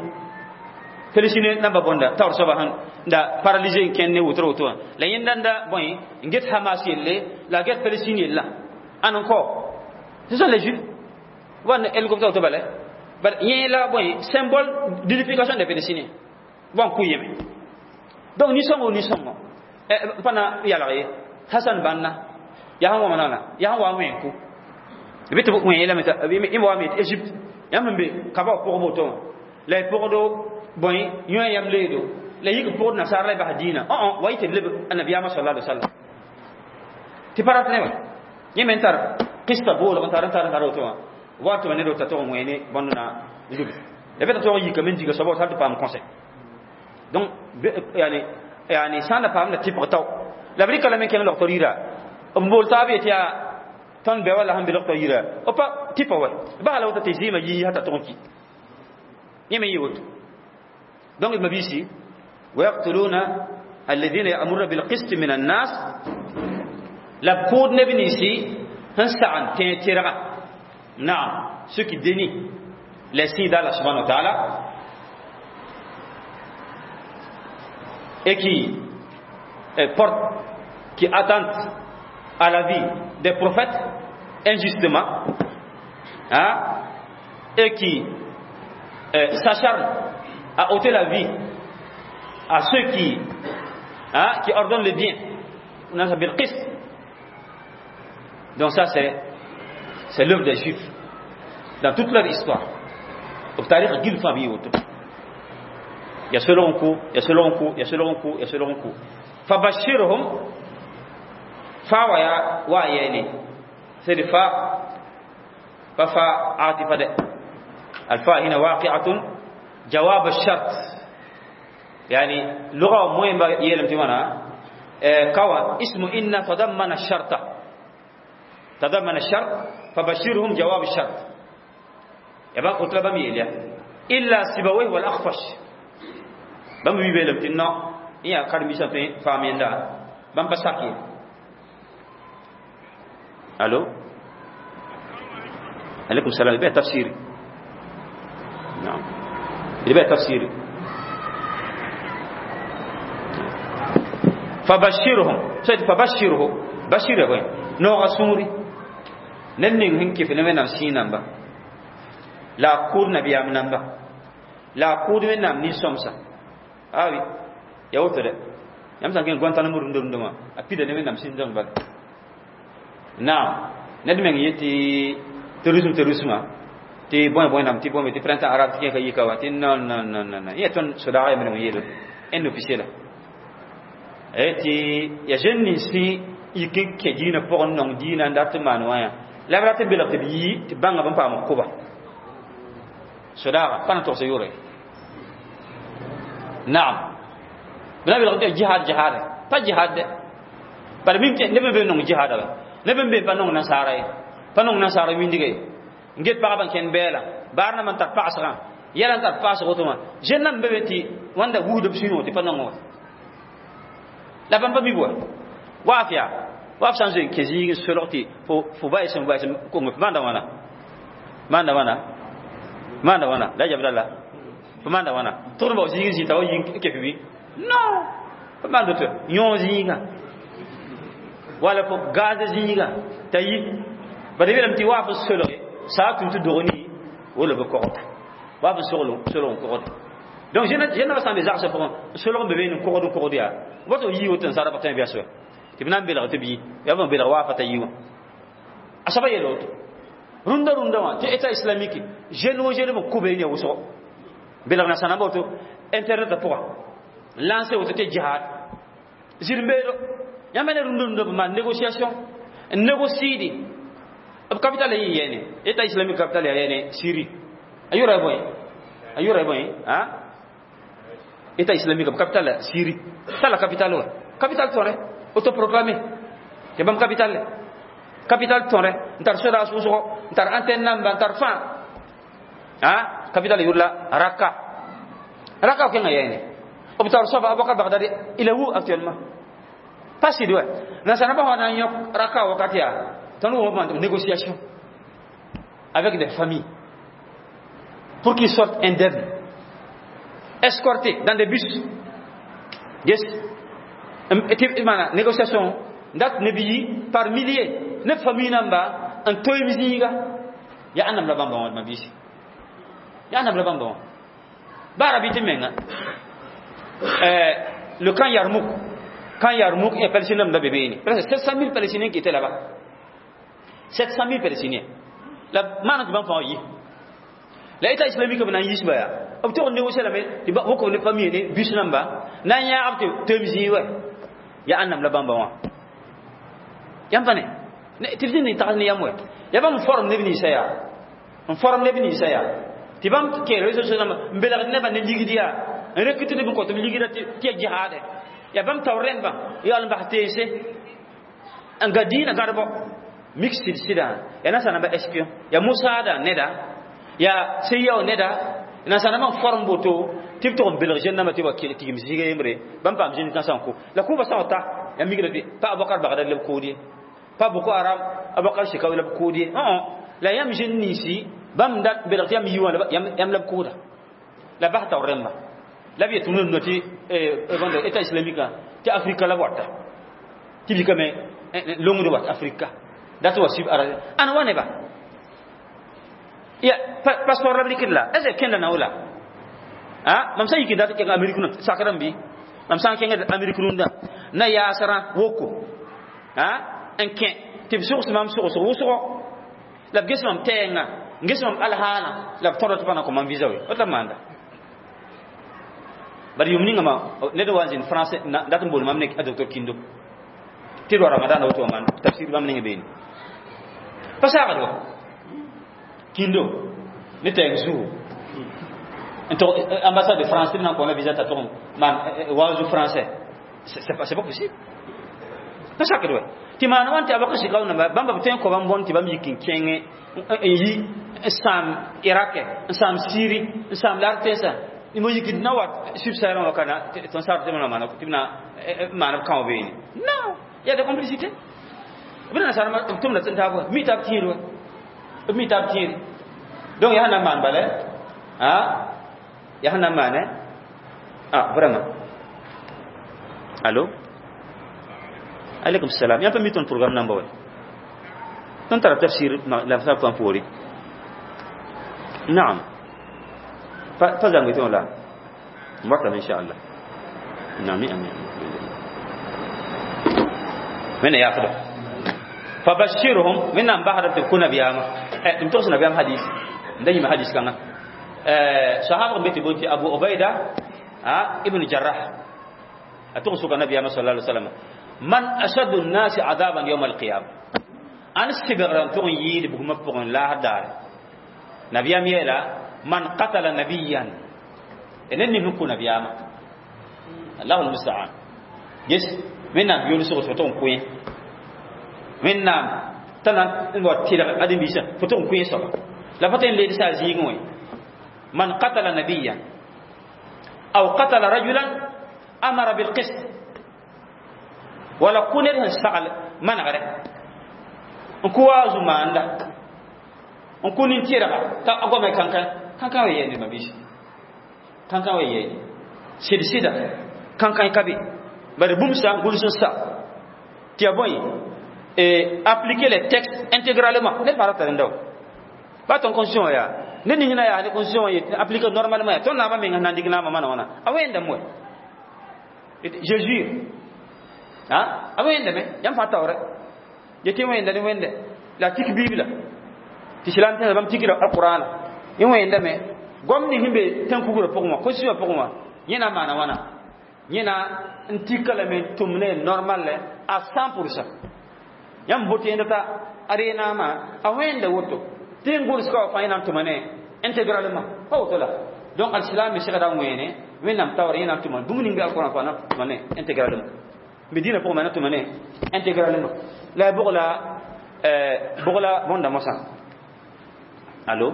Félicine namba bonda taoor soaba sẽn da paralysé n kẽnd ne wotro woto wã la yẽnda n da bõe n get Hamas yelle la get Palestine yella ãn n kao. Ce sont les juifs wan hélicoptère woto bala bar yẽ la bõe symbole d'unification des Palestiniens bon kʋ yẽme. Donc nisõngo nisõngo pa na yalg ye Hassan Banna yaa sẽn wa nana yaa sẽn wa n wẽn kʋ bɩ tɩ b wẽ lame yẽmb wa me tɩ Égypte yãmb sẽn be kaba pʋgb woto wã la y pʋgdo bõe yõ yam leedo la yik pʋgd nasaar la y bas dĩinã õ wa yɩ tɩ b leb annabiyaamã sala alai wasallam tɩ pa rat ne wa yẽ me n tar kista boolg n tar n tar n tar woto wã wa tɩ ned wota tʋg n wẽene bõnd na lubi la bɩ t'a tʋg n yikame n diga soaba woto hal tɩ paam conseil. Donc yani yani sã n da paam la tɩpg tao la b rɩka lame kẽng logtr yira b bool taab yetɩ yaa tõnd bɛ wala sẽn be logtr yira b pa tɩpa wa basa la woto tɩ zɩɩmã yii hata tʋg n ki yẽ me yɩ woto. Donc mabisi ويقتلون الذين يأمرون بالقسط من الناس la b kʋʋd neb ninsi sẽn sagn tẽeg tɩrga. Naam, ceux qui dénient les signes d'Allah subhanahu wa ta'ala et qui portent, qui attendent à la vie des prophètes injustement, hein, et qui euh, s'acharnent à ôter la vie à ceux qui, hein, qui ordonnent le bien. Donc ça, c'est c'est l'œuvre des Juifs dans toute leur histoire. B tarɩg gill fãa b yɩ woto. Ya solg n kʋ, ya solg n kʋ, ya solg n kʋ, ya solg n kʋ. فبشرهم fa wa ya wa yene c'est fa fa fa عاطفة ده. الفاء هنا واقعة جواب الشرط، يعني لغة مهمة يلم تمانا قوى اسم إن تضمن الشرط، تضمن الشرط، فبشرهم جواب الشرط. يبقى قلت لبم يليا إلا سيبويه والأخفش بم بيبلم تنا يا كارمي سافين فامين دا بم بساكي. الو، عليكم السلام. يبقى تفسيري، نعم يبقى تفسيري. فبشرهم سيد فبشره بشره وين نو غسوري نن هنكي في نمنا سينamba la kur nabiyam namba la kur men nam ni somsa awi ya woto de yam san ken Guantanamo rundo rundo ma a pida ne men nam sin zang bal naam ned meng yeti terrorisme terrorisme ti boy boy nam ti boy ti printemps arabe ti ka yika wa ti non non non non ya ton soda ya men yelo en officiel e ti ya jeune ni si yikin ke dina pour non dina ndat man wa ya la bra te belak te bi ti banga bam pa mo kuba soda pa na to se yure naam bla belak jihad jihad pa jihad par mim te ne be non jihad la ne be pa non nasara pa non nasara windige nget pa ban ken bela barna man tar paasra yala tar paas rotoma jeune nam be ti wanda wuudo sino ti pa non la ban pa mi bo wafia waf san zen kezi soloti fo fo bay sen bay sen ko ngf manda wana manda wana manda wana la jabdalla fo manda wana tourne ba zigi zita o yin ke fi non fo manda to yon zinga wala fo gaz zinga tayi ba de belam ti waf soloti sa tun tu dogoni wala be kokota waf solo solo kokota. Donc je ne je ne pas mes arts pour solo bébé nous kokodo kokodo ya woto yi woto sara patin bien sûr ti bnan bela te bi ya bon bela wa fata yiwa asaba yelo runda runda wa te état islamique jeune wo jeune mo kube ni wuso bela na sana boto internet pour lancer woto te jihad zirmbelo yamene runda runda ma négociation négocier di capital yi yene état islamique capital yene Syrie ayura boy ayura boy ha état islamique capital Syrie ça la capitale wa capitale tore autoproclamé te bam capitale capitale tore ntar soda suso ntar antenne namba ntar fan ha capitale yurla Raqqa Raqqa ko ngayene obtar sofa Abubakar Baghdadi il est où actuellement pas si doit na sana ba hona nyok Raqqa wakati ya tanu mo négociation avec des familles pour qu'ils sortent indemnes, escortés dans des bus. Yes. Et négociation date nebi par milliers, neuf familles namba un toy mizinga ya anam la bamba ma bisi. Ya anam la bamba. Bara biti menga. Euh le camp Yarmouk, camp Yarmouk et Palestiniens la bébé ni. Presque sept cent mille Palestiniens qui étaient là-bas. sept cent mille Palestiniens. La mana tu bamba yi. L'État islamique bana yisba ya. Obto négocier la mais ti ba woko ne famille ne bus namba na nya abte temzi wa ya annam la bamba wa yam pane ne tifni ni taxni yam wa ya bam forum ne bini saya on forum ne bini saya ti bam ke réseaux sociaux mbela ne ba ne ligidia recruter ne ko to ligida ti jihad ya bam tawren ba ya al bahtese angadina garbo mixed sida ya nasa namba espion ya musada neda ya seyo neda na sana man form boto tip to belge na mati wa tigim zige yemre bam pam jin kan sanko la kuba sawta ya migra bi pa Abubakar Baghdad le kodi pa Boko Haram Abubakar Shekau le kodi non la yam jin nisi bam dat belge yam yiwa yam yam la koda la bahta remba la bi tunun noti eh bande état islamique ti Afrika la wata ti bi kame longu wat Afrika dat wa sib ara ana wane ba Ya passeport la b rɩkd la est ce que kẽnda nao la a mam sã n yik n dat n kẽng amerik nã sakrame bɩ mam sã n kẽngd amerik rũndã na yaasrã woko a n kẽ tɩ b sogs mam sogsg wʋsgo la b ges mam tɛɛngã n ges mam alhaana la b tõda tɩ pa na kõ mam visa we woto la b maanda bari yʋʋm ninga ma ned n wa n zĩnd français dat n bool mam ne a docteur Kindo tɩ d wa ramadan woto wã maan tafsir bãmb ning beene pa saagd wa Kindo ne tɛɛng zugu n tog ambassade de France tɩ b na n kõ la visa t'a tʋg n maan waazu français. c'est pas c'est pas possible, pa sakd wa tɩ maan wãn tɩ a bak sɩka namba bãmba b tõe n kõ bãmb bõn tɩ bãmb yik n kẽngẽ n yi n sãam Irak, n sãam Siri, n sãam la tẽnsã mo yik na wat subsaharian wa kana tõnd sar tɩ b na maana tɩ b na maan b kão beene. Non, il y a des complicités. B na nasarã b tʋmda tɩ n taab mi tab tĩir wa b mi tab tĩir. Donc yaa na n maan bala a yaa sẽn na n maane ah vraiment. Allo, alaikum salam. Yãmb pa mi tõnd programme namba wa tõnd tara tafsir la b sab poore. Naam, pa pa zãngi tõog la n watame inchallah. Naam, amin. Wẽnna yaafda fabashirhum wẽnnaam basda tɩ b kõ nabiyaamã m togs nabiyaam hadis n da yĩma hadis kãngã sahab n be tɩ bõe tɩ Abu Ubaida ibn Jarrah a tʋg n soka nabiyaamã sala alai wasallam: man ashaddu nnasi adaban yawma alqiyama? Ãn sɩbgrã n tʋg n yɩɩd bugmã pʋgẽ laasr daare? Nabiyaam yeela: man qatala nabiyan, ned ning sẽn kʋ nabiyaamã. Allahu lmustaan. Ges wẽnnaam yolsg tɩ fo tʋg n kʋ yẽ wẽnnaam t'a na n wa tɩlg ãdem-biisã fo tʋg n kʋ yẽ soaba la fa tõe n leed saa zĩigẽ wẽ. Man qatala nabiyan aw qatala rajulan amara bilqist wala kʋ ned sẽn sagl manegre n kʋ waazu maanda n kʋ nin-tɩrga t'a goame kãnkã kãnkã wa yɛɛne mabiisi kãnkã wa yɛɛne sɩd sɩda kãnkã ka be bari bũmb sã n gʋls n sa tɩ ya bõe et appliquer les textes intégralement. Ned fãa ra tar n dao ba tõnd constitution yaa ned ning na yaa ne constitution appliquer normalement yaa tõnd naabã meng sẽn na n dɩk naamã mana wãna a wẽndame wɛ. Je jure, a wẽndame yãmb fãa taoorɛ yetɩ wẽnda ne wẽnde la tik bible tɩ islam tẽnsã bãmb tikra alqurana yẽ wẽndame goam ning sẽn be tẽn-kugrã pʋgẽ wã constitution pʋgẽ wã yẽ na n maana wãna yẽ na n tika lame n tʋm ne normal à cent pour cent. Yãmb bote yẽnda t'a a reenaamã a wẽnda woto tɩ n gʋls ka wa fãa yẽ na n tʋma ne intégralement pa woto la. Donc alislam me segda wẽene wẽnnaam taoor yẽ na n tʋma bũmb ning be alquran fãa na tʋma ne intégralement medina pʋgẽ ma na tʋma ne intégralement la bʋg la bʋg la bõnda mosã. Allo,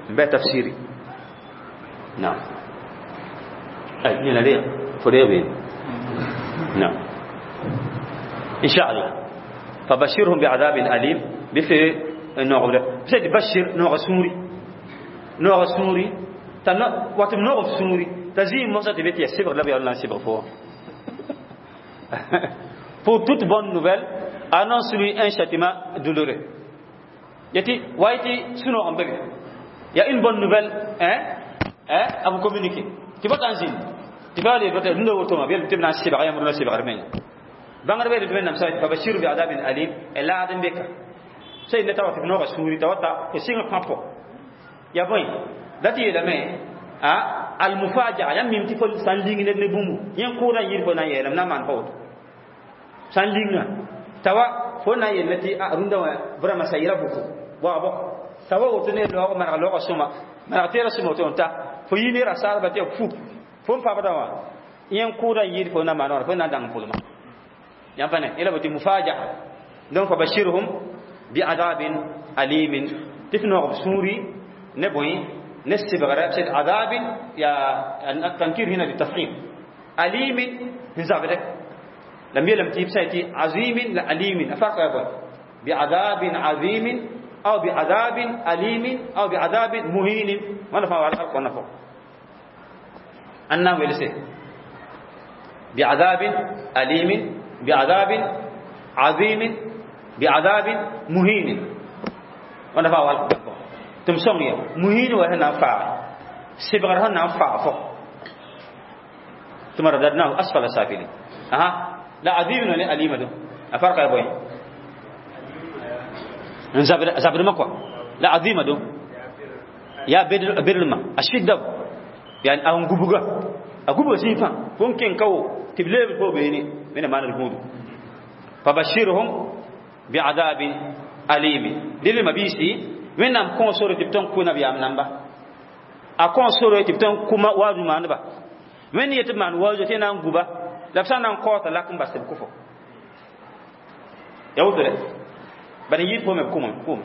n bɩ tafsiri. Naam, ay yẽna re fo reeg beene. Naam, إن شاء الله. فبشرهم بعذاب أليم بفي نوغ بسيت بشر نوغ سوري نوغ سوري تنا واتم نوغ سوري تزيم موسى تبيت يسبر لا بيالله سبر فوق. Pour toute bonne nouvelle, annonce-lui un châtiment douloureux. Yati waiti suno ambebe. Il y a une bonne nouvelle, hein, hein, à vous communiquer. Tu vas t'en tu vas aller voter nous auto bien tu na sibra ya murna sibra men bãngr be tɩ wẽnnaam sa fabashiru biadabin alim laad n beka sẽn ne ta wa tɩ b nooga sũuri t'a wata fo sɩng pãpo ya bõe la tɩ yeelame a almufajaa yãmb mim tɩ fo sã n ling ned ne bũmbu yẽ kʋʋdã n yɩɩd fo na n yeelame na n maan pa woto sã n linga t'a wa fo na n yeelame tɩ a rũndã wã vraiment ça ira beaucoup waabo t'a wa woto ne laoog maneg laoogã sõma maneg teerã sõma woto n ta fo yi ne rasaasba tɩ ya fu fo n pabdã wã yẽ kʋʋdã n yɩɩd fo na maan wã fo na n dãng pʋlma yãmb pa ne yẽla bote mufajaa. Donc fabashirhum biadabin alimin tɩ f noog b sũuri ne bõe ne sebgrɛ sed adabin ya tankir hina bitafkhim alimin sẽn zabdɛ la m yeelame tɩ b sã tɩ azimin la alimin a farka ya bõe biadabin azimin aw biadabin alimin aw biadabin muhinin wãnda fãa wa alqurãna pʋgẽ ãn na n welse biadabin alimin biadabin azimin biadabin muhinin wãnda fãa wa alqurãna pʋgẽ. Tɩ m sõng ya muhiin wa sẽn na n faage sebgr sẽn na n faag fo ثم رددناه أسفل سافلين. أها لا عظيم ولا أليم دو الفرق يا بوي زبر زبر مكوا لا عظيم دو يا بدر بدر ما أشد يعني أهم غبغا أغبغا سيفا ممكن كو تبلي بو بيني من ما نرغود فبشرهم بعذاب أليم دل ما بيسي من نام كون سورة تبتون كونا بيام نامبا أكون سورة تبتون كوما وازو ما نبا من يتمان واجو تي نان غوبا la b sã n na n kaoota lak n bas tɩ b kʋfo ya woto dɛ bad n yɩɩd pʋgẽ b kʋme kʋʋm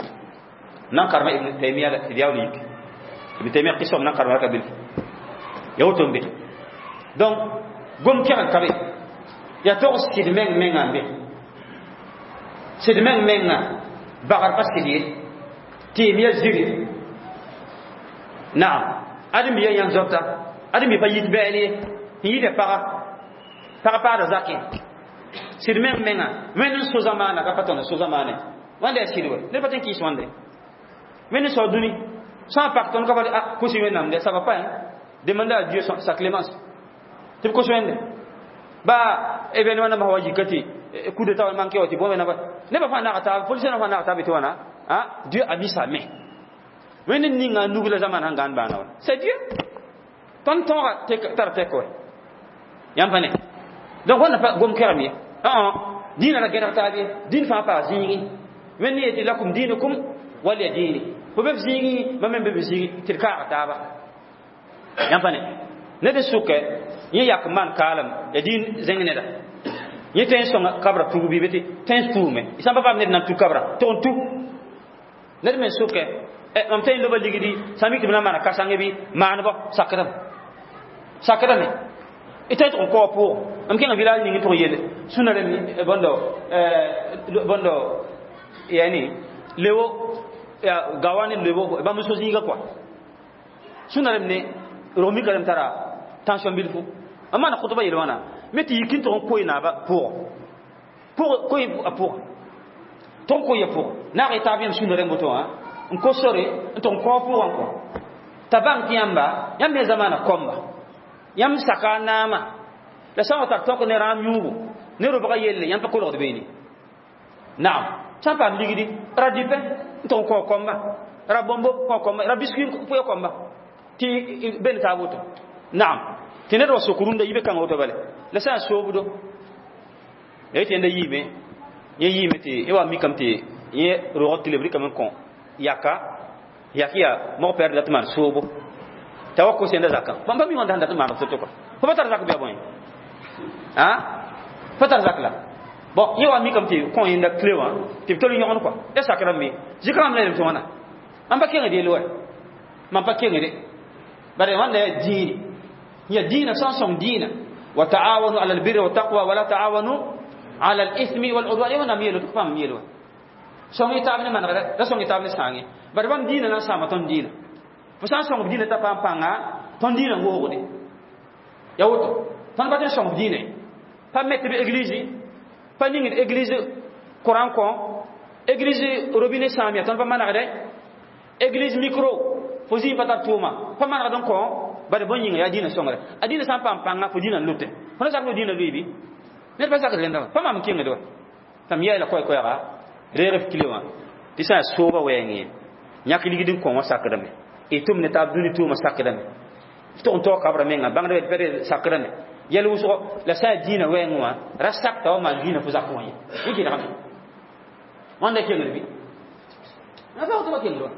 nan karema Ibn Taymiya la tɩ yaool yik Ibn Taymiya qisam nan karema ka bilf ya woto n be donc gom kɛgn ka be yaa tog sɩd meng menga n be sɩd meng menga bagr pa sɩd ye tɩɩm ya ziri naam ãdem bia yãn zoabta ãdem bi pa yit bɛɛl ye n yɩɩda paga paga paada zakẽ sɩd meng menga wẽnd n so zamaana ka pa tõnd so zamaanẽ wãnda yaa sɩd we ned pa tõe n kɩɩs wãnde wẽnd n sao dũni sã n pak tõnd ka pa ah kos wẽnnaam de ça va pas hein demande à Dieu sa clémence tɩ b kos wẽnde ba événement nambã wa yika tɩ coup d'état wa manke wa tɩ bõe wẽnnaam nebã fãa naga taab policier fãa naga taab tɩ wãna ah Dieu a mis sa main wẽnd n ninga a nug la zamana sẽn gãan baana wa c'est Dieu tõnd tõoga tara tɛk wɛ yãmb pa ne donc wãnda pa gom kɛgem ye dĩinã ra gẽdg taab ye dĩn fãa paa zĩigi wẽnd yetɩ lakum diinukum waliya diini fo be f zĩigi mam me be b zĩigi tɩ d kaaga taaba yãmb pa ne ned n sʋkɛ yẽ yak n maan kaalem ya dĩin zẽng neda yẽ tõe n sõnga kabra tug bɩ tɩ tõe n tuume sã n pa paam ned na n tu kabra tʋg n tu ned me n sʋkɛ mam tõe n loba ligdi sã n mik tɩ b na n maana ka-sãngẽ bɩ maanebɔ sakdame sakdame y tõe tɩg n kao pʋʋg mam kẽngã village ning n tʋg yel sũna rem bõndo bõndo yani lewo ya gawa ne lewo bãmb so zĩiga kɔa sũna rem ne rog mika rem tara tension bilfu mam maana khutba yel wãna me tɩ yik n tʋg n koe naaba pʋgɔ pʋg koe a pʋga tʋg n koe a pʋgɔ naag y taab yãmb sũna rem woto wã n kos sore n tʋg n kao pʋgã kɔ t'a bãng tɩ yãmba yãmb me zamaana kõmba yãmb saka a naama la sã n wa tar tõk ne rãam yũubu ne robga yelle yãmb pa kolgd beene naam sã n paam ligdi ra dɩpɛ n tʋg n kao kõmba ra bõmbo kao kõmba ra biskuit pʋɩ kõmba tɩ ben taab woto naam tɩ ned wa sok rũndã yibe kãngã woto bale la sã n soobdo ya yetɩ yẽnda yiime yẽ yiime tɩ yẽ wa mikame tɩ yẽ rog tɩ leb rɩkame n kõ yaka yak yaa mog pɛɛr dat maan soobo t'a wa kos yẽnda zakã bãmb pa mi wãnda sẽn dat n maaneg to-to kɔa fo pa tar zak bɩa bõe a pa tar zak la bon yẽ wa mikame tɩ kõ yẽnda kile wã tɩ b tol yõgn kɔa ya sakrame me zɩk rãmb la yelem tɩ wãna mam pa kengd yell wɛ mam pa kengde bare wãnda yaa dĩini ya dĩinã sã n sõng dĩinã wa taawanu ala albirri wa taqwa wala taawanu ala alithmi waludwan ya wẽnnaam yeelo tɩ paam yeel wa sõng y taab ne manegre la sõng y taab ne sãange bare bãmb dĩinã na n sãama tõnd dĩinã fo sã n sõng b dĩinã t'a paam pãnga tõnd dĩinã n woogde ya woto tõnd pa tõe n sõng b dĩinã pa met b église pa ningd église courant kõ église robinet sãam ya tõnd pa manegde église micro fo zĩig pa tar tʋʋma pa manegd n kõ bare bõe yĩnga yaa dĩinã sõngre a dĩinã sã n paam pãnga fo dĩinã n lʋte fo na sak fo dĩinã lʋɩ bɩ ned pa sakd rẽndã pa maam n kẽngd wa tãm yaɩla koɛ-koɛɛga reeg f kile wã tɩ sã n sooba wɛɛng ye yãk ligd n kõ wã sakdame y tʋm ne taab dũni tʋʋmã sakdame tʋg n taoog kabra menga bãngd pɛd sakdame yɛl wʋsgo la sã n dĩinã wɛɛng wã ra sakta wa maan dĩinã fo zak wã ye yẽ kɩdgame wãnda kengd bɩ pa tɩ kengd wa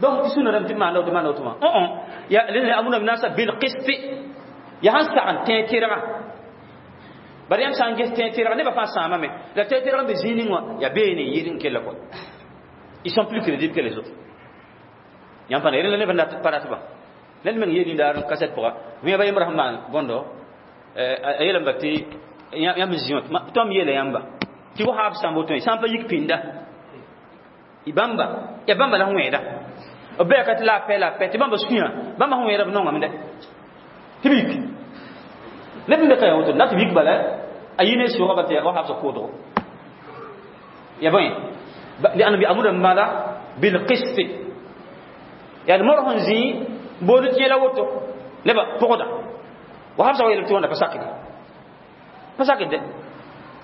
donc tɩ sũna rãmb tɩ maanda tɩ maanda woto wã ya alladhina ya'muruna bin-nasa bil qist ya sãn sag n tẽ tɩrga bari yãmb sã n ges tẽ tɩrga nebã fãa sãamame la tẽ tɩrg n be zĩig ning wã yaa beene n yɩɩd n kella kɔa ils sont plus crédibles que les autres yãmb pa rẽnd la neb pa rat bã ned meng yeel yĩndaar kasɛt pʋga wẽa ba yembr sẽn maan bõndo a yeelame tɩ yãmb n zĩ wã tõm yeela yãmba tɩ wa haab sãmb woto sã n pa yik pĩnda bãmba ya bãmba la sẽn wẽeda b bɛɛka tɩ la a pɛ la a pɛ tɩ bãmba sũyã bãmba sẽn wẽeda b nongame dɛ tɩ b yik neb n be ka ya woto na tɩ b yik bala a yɩ ne sʋʋga bal tɩ wa habsa koodgo ya bõe لأنه بيأمر بماذا؟ بالقسط. Yaa mor sẽn zĩ boond tɩ yẽla woto nebã pʋgda wa habsa wa yelem tɩ wãnda pa sakde pa sakd de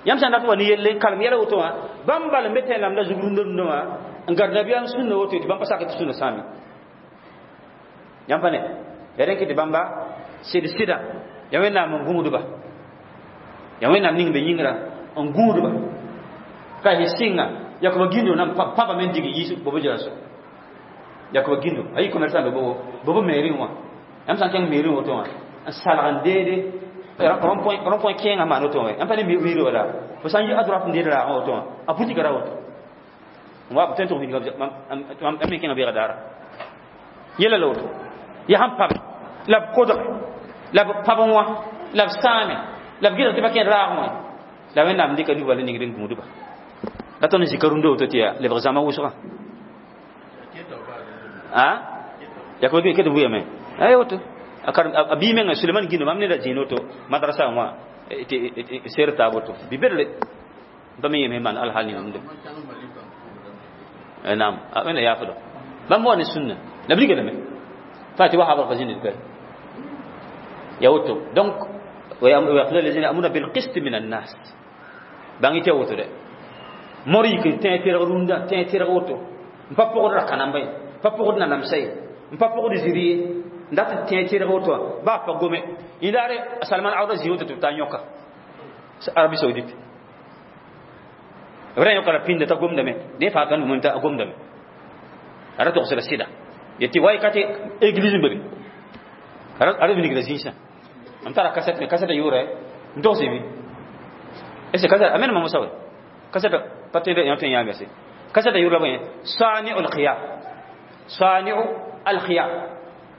yãmb sã n dat wa ne yelle n kalem yɛla woto wã bãmb bal n be tẽ lamda zug rũndã rũndã wã n gad nabiyaam sũnna woto tɩ bãmb pa sakd tɩ sũnna sãame yãmb pa ne yaa rẽn kɩ tɩ bãmba sɩd sɩda yaa wẽnnaam n gũudba yaa wẽnnaam ning be yĩngrã n gũudba ka y sɩnga yakoba gĩndo nan paba me n dig yiis bobo jeraso yakoba gĩndo a yɩ commerçant be bobo bobo mairie wã yãmb sã n kẽng mairie woto wã n salg n deede rond point kẽengã maan woto wã yãmb pa ne mairie wala fo sã n yi a droite n deed raagã woto wã a boutique ra woto wa tõe n tʋg m me kẽnga beega daara yɛla la woto yaa sẽn pabe la b kodg la b pab wã la b sãame la b gɩdg tɩ pa kẽed raagẽ wã la wẽnnaam dɩka nubã la ningd n gũudba la tõnd zika rũndã woto tɩ yaa lebg zãma wʋsgã a yak ba ket wʋyame ay woto a bii menga Suleiman gindo mam neda zĩig woto madrasa wã ser taab woto bi bedre ba me yeme man alhal ni nde naam wẽnna yaafdo bãmb wa ne sũnna la b rigdame fati wa habr fa zĩnd ka ya woto donc ويقول الذين يأمرون بالقسط من الناس bãng tɩ woto de mor yik n tẽ tɩrg rũndã tẽ tɩrg woto n pa pʋgd ra-kãnamba ye pa pʋgd nanamsa ye n pa pʋgd ziri ye n dat n tẽ tɩrg woto wã baa pa gome yẽdaare Salman Awda zĩ woto tɩ b taa yõka Arabie Saoudite b ra yõka ra pĩnda t'a gomdame dẽ fãa ka num t'a gomdame a ra togsda sɩda yetɩ way ka tɩ église n be be a ra wilgra zĩisã m tara kaset me kaseta yʋʋrɛ n togs bɩ est ce que kaseta a menema mosa we kaseta pa tõe yã tõe n yãame se kaseta yʋʋr la bõe sani'u lqiyam sani'u alkhiyam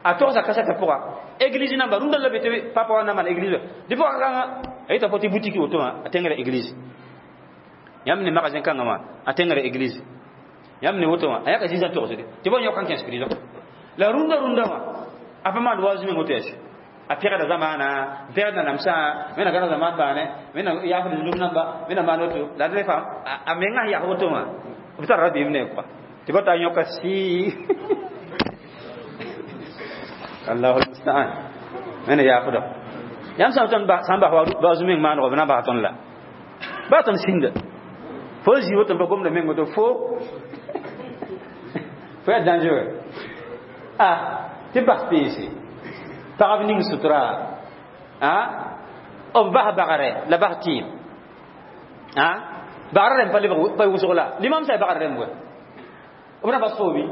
a togsa kaseta pʋga église namba rũndã la be tɩ papa wa na maan église dɩ pʋga kãngã a yeta fo tɩ boutique woto wã a tẽngra église yãmb ne magasin kãngã wã a tẽngra église yãmb ne woto wã a yãka zĩisã togsde tɩ ba yõk n kẽes prison la rũndã rũndã wã a pa maan waoog meng woto yɛse a pɛgda zamaana n pɛgd nanamsã wẽnna gãneg zamaan baane wẽnna yaafd zunub namba wẽnna maan woto la d fa a mengã sẽn yak woto wã b tara rabeem ne kɔa tɩ ba taa yõka sɩ allahu almustaan wẽnna yaafda yãmb sã tõnd sã n bas waoog meng maanego b na n bas tõnd la baa tõnd sĩnda fo zĩ woto n pa gomda meng woto fo fo yaa dangereux ah tɩ bas peese pagb ning sutura a b bas bagre la bas tɩɩm a bagrã rẽmb pa lebg pa wʋsg la limam sa bagrã rẽmb we b na bas foobi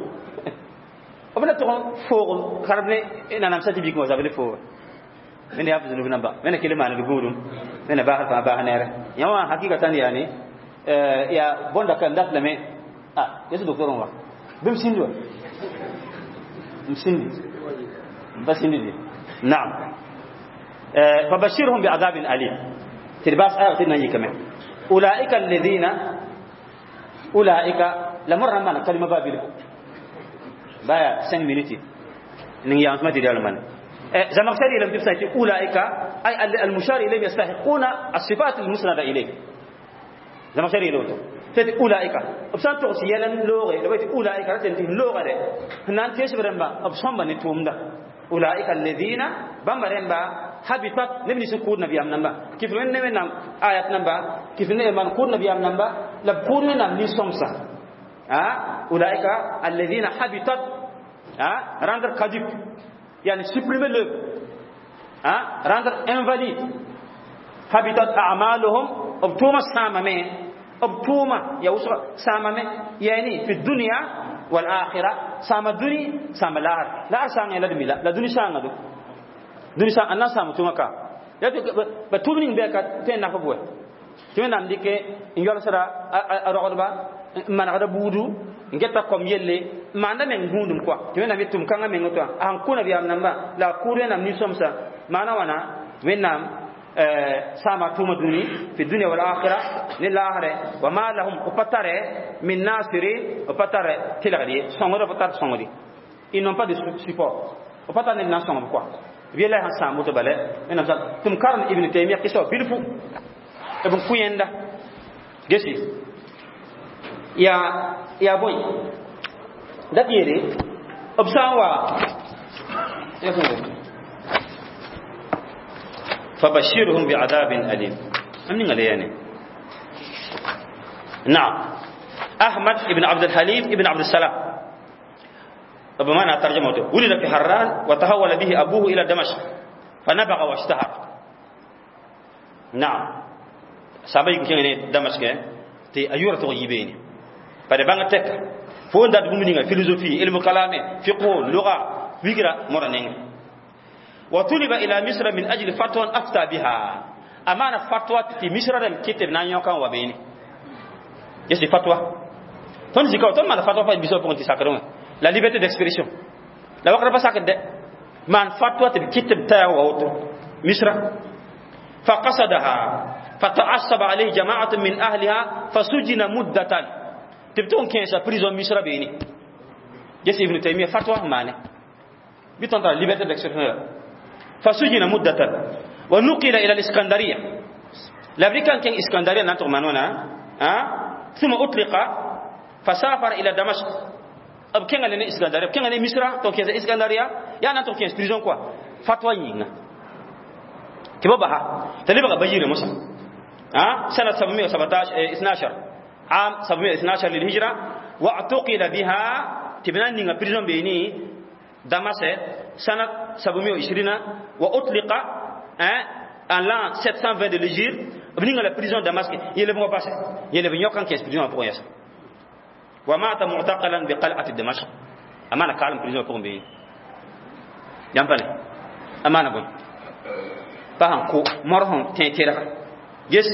b na tʋg n foog karb ne nanam sa tɩ bik wã zab ne fooga wẽnda yaa zunub namba wẽnda kell maand gũudum wẽnda baasd fãa baas neere yã wã hakikatan yaani yaa bõnda ka n dat lame a yes docteur n wa bɩ m sĩndi wa m sĩndi m pa sĩndi de نعم فبشرهم بعذاب أليم تلباس آية تنا يكمل أولئك الذين أولئك لمر ما كلمة بابل بايا خمسة minutes نين يا ما تدي من زمخشري لم تفسد أولئك أي المشار إليهم يستحقون الصفات المسندة إليه زمخشري لوتو تت أولئك أبسان تغسي يلن لوغي لو أولئك رتنتي لوغة ده هنان تيش برمبا أبسان بني تومدا أولئك الذين بامبرمبا habitat نبني سكور نبي أم نمبا كيف من نبي نام آيات نمبا كيف نبي من كور نبي أم نمبا لبكور نام نسومسا آه أولئك الذين habitat ah rendre caduc يعني supprimer l'œuvre ah rendre invalide habitat أعمالهم أبتوما سامة أبتوما يا وسر سامة يعني في الدنيا والآخرة سام الدنيا سام الآخرة لا سام لا دمي لا دنيا سام دو دنيا سام أنا سام توما كا يا بتومين بيك تين نافبوه تين نام ديك إن يلا سرا أرغبا ما نغدا بودو n geta kom yelle maanda meng gũudum kɔa tɩ wẽnnaam yet tʋm kãngã meng tɩ a sẽn kõ nabiyaam namba la a kʋʋd wẽnnaam nin-sõmsa maana wãna wẽnnaam saama tʋʋma dũni fi dunya wal akhira ne laasrɛ wa ma lahum b pa tare min nasirin b pa tare tɩlgd ye sõngd b pa tar sõngd ils n'ont pas de support b pa tar ned na n sõngb kɔa b yella sẽn sãam woto bala wẽnnaam sa tɩ m karem Ibn Taymiya kɩsa wa bilfu b n kõ yẽnda gesi yaa yaa bõe dat yeele B sã n wa فبشرهم بعذاب أليم. من يعني نعم أحمد بن عبد الحليم بن عبد السلام بمعنى ترجمته ولد في حران وتحول به أبوه إلى دمشق فنبغ واشتهر. نعم سابق كان دمشق تي أيورة تغيبين بعد بanga tek fo ndat bumninga philosophie ilmu kalame fiqh lugha wigra moraneng وطلب إلى مصر من أجل فتوى أفتى بها. أمانة فتوى في مصر لم كتب نانيوكا وبيني يسي فتوى تون زيكا تون ما فتوى فا بيسو بونتي ساكرون la liberté d'expression la wakra pas de man fatwa te كتب تا ووتو مصر فقصدها فتعصب عليه جماعة من أهلها فسجن مدة. تبتون كينسا prison مصر بيني يسي ابن تيمية فتوى ماني بيتون la liberté d'expression فسجن مدة ونقل إلى الإسكندرية. لابد كان كان إسكندرية نانتو مانونا ها ثم أطلق فسافر إلى دمشق. أب كان لنا إسكندرية كان لنا مصر تو كان إسكندرية يا نانتو كان prison quoi فتوى يينا كيف بها تلبغى بجير موسى ها سنة سبعمائة وسبعة عشر عام سبعمائة واثني عشر للهجرة واعتقل بها تبنان نيغا prison بيني دمشق سنة سبعمائة وعشرين وأطلق en l'an sept cent vingt de l'Hégire venir à la prison de Damas il est passé il est venu quand qu'est prison pour ça ومات معتقلا بقلعة دمشق. أمانة كالم prison pour بي يامبالي أمانة بون فهم كو مرهم تيتيرا يس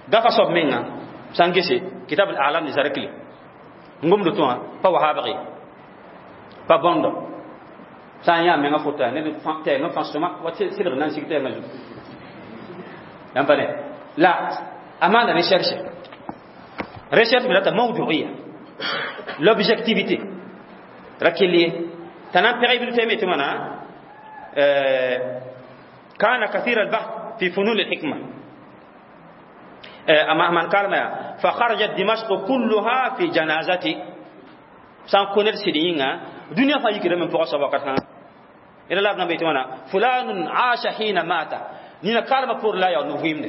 gafa sob menga sangese kitab al-a'lam li zarakli ngom do to pa wahabri pa bondo sã n yaa menga fota ned tɛɛngã fãa sõma wa sɩlg na n sig tɛɛngã zugu yãmb pa ne la a maanda recherche recherche me rata mawduiya l'objectivité ra kell ye t'a na n pɛg ibn taymiya tɩ wãna كان كثير البحث في فنون الحكمة. أما من قال ما فخرجت دمشق كلها في جنازتي سان كونر سيدينغا دنيا فا يكرم من فوق سبا كان إلى لابنا بيتوانا فلان عاش حين مات نينا كارما بور لا يا نوفيم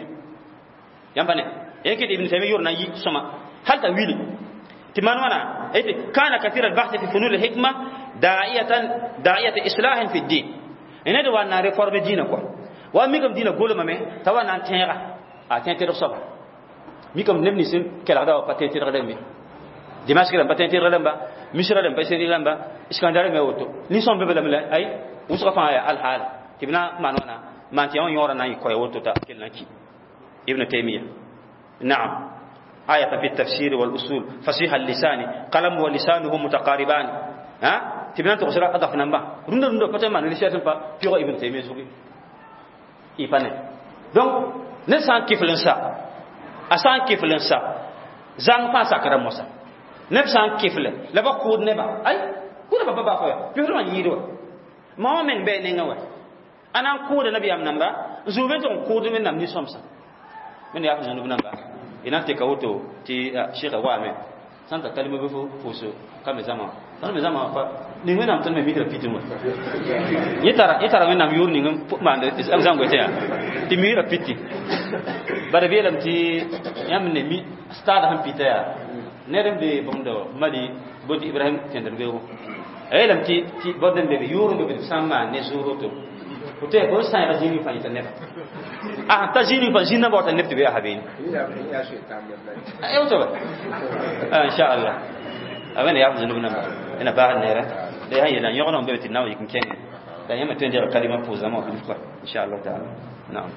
يامباني يمكن ابن تيمية يورنا يسمع هل تأويل تمان وانا كان كثير البحث في فنون الحكمة داعية داعية إصلاح في الدين إن هذا وانا ريفورم دين كوا وميكم دين قول ما مي توا نان تيرا أتين تيرا صبا ميكم نبني سن كلا هذا باتين تيرا دمي دمشق لم باتين تيرا لمبا مصر لم باتين تيرا لمبا إسكندر ما وتو نيسون ببلا ملا أي وسقف على الحال تبنا مانونا ما تيون يورا ناي كوي وتو تا كلنا كي ابن تيمية نعم آية في التفسير والأصول فصيح اللسان قلم ولسانه متقاربان ها تبنا تقصر أضف نمبا رند رند فتما نلشة فا فيغ ابن تيمية زوجي إيفانه donc ne san kiflin sa a san kiflin sa zang pa sakara mosa neb sã n kifle la ba kʋʋd neba ay kʋʋda ba ba fa pɩsd wã yĩid wa ma wã meng bɩ nengã wa a na n kʋʋda nabiyaam namba n zũu be tɩ n kʋʋd wẽnnaam nin-sõmsã wẽnd yaa zũnub namba y na n teka woto tɩ sheikha waame sã n ta kalima bɩ fo pʋʋs ka me zãma tõnd me zãma fa ning wẽnnaam tõnd me mikra piti wã yẽ tara yẽ tara wẽnnaam yʋʋr ning n maand zãm goetẽ yaa tɩ migra piti bara beelame tɩ yãmb ne mi stad sẽn pita yaa ned n be bõmd mali boti ibrahim tẽndr beoogo a yeelame tɩ tɩ bõd n be be yʋʋr n be be tɩ sã n maan ne zʋʋr woto fo tɩ fo sãeega zĩig fãa yẽta neba a ta zĩig fãa zĩig namba wata neb tɩ be yaa habeene woto ba inchallah a wẽnda yaa f zũnub namba ẽna baasd neerã la yaa yeela yõgd n be tɩ na n yik n kẽngẽ la yãmb tõe n degl kalima pʋʋsdãmbã wã bilf kɔa inchallah taala naam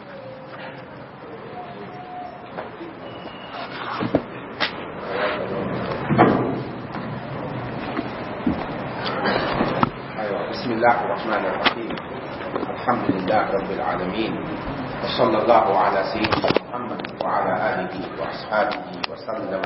بسم الله الرحمن الرحيم الحمد لله رب العالمين وصلى الله على سيدنا محمد وعلى آله وأصحابه وسلم.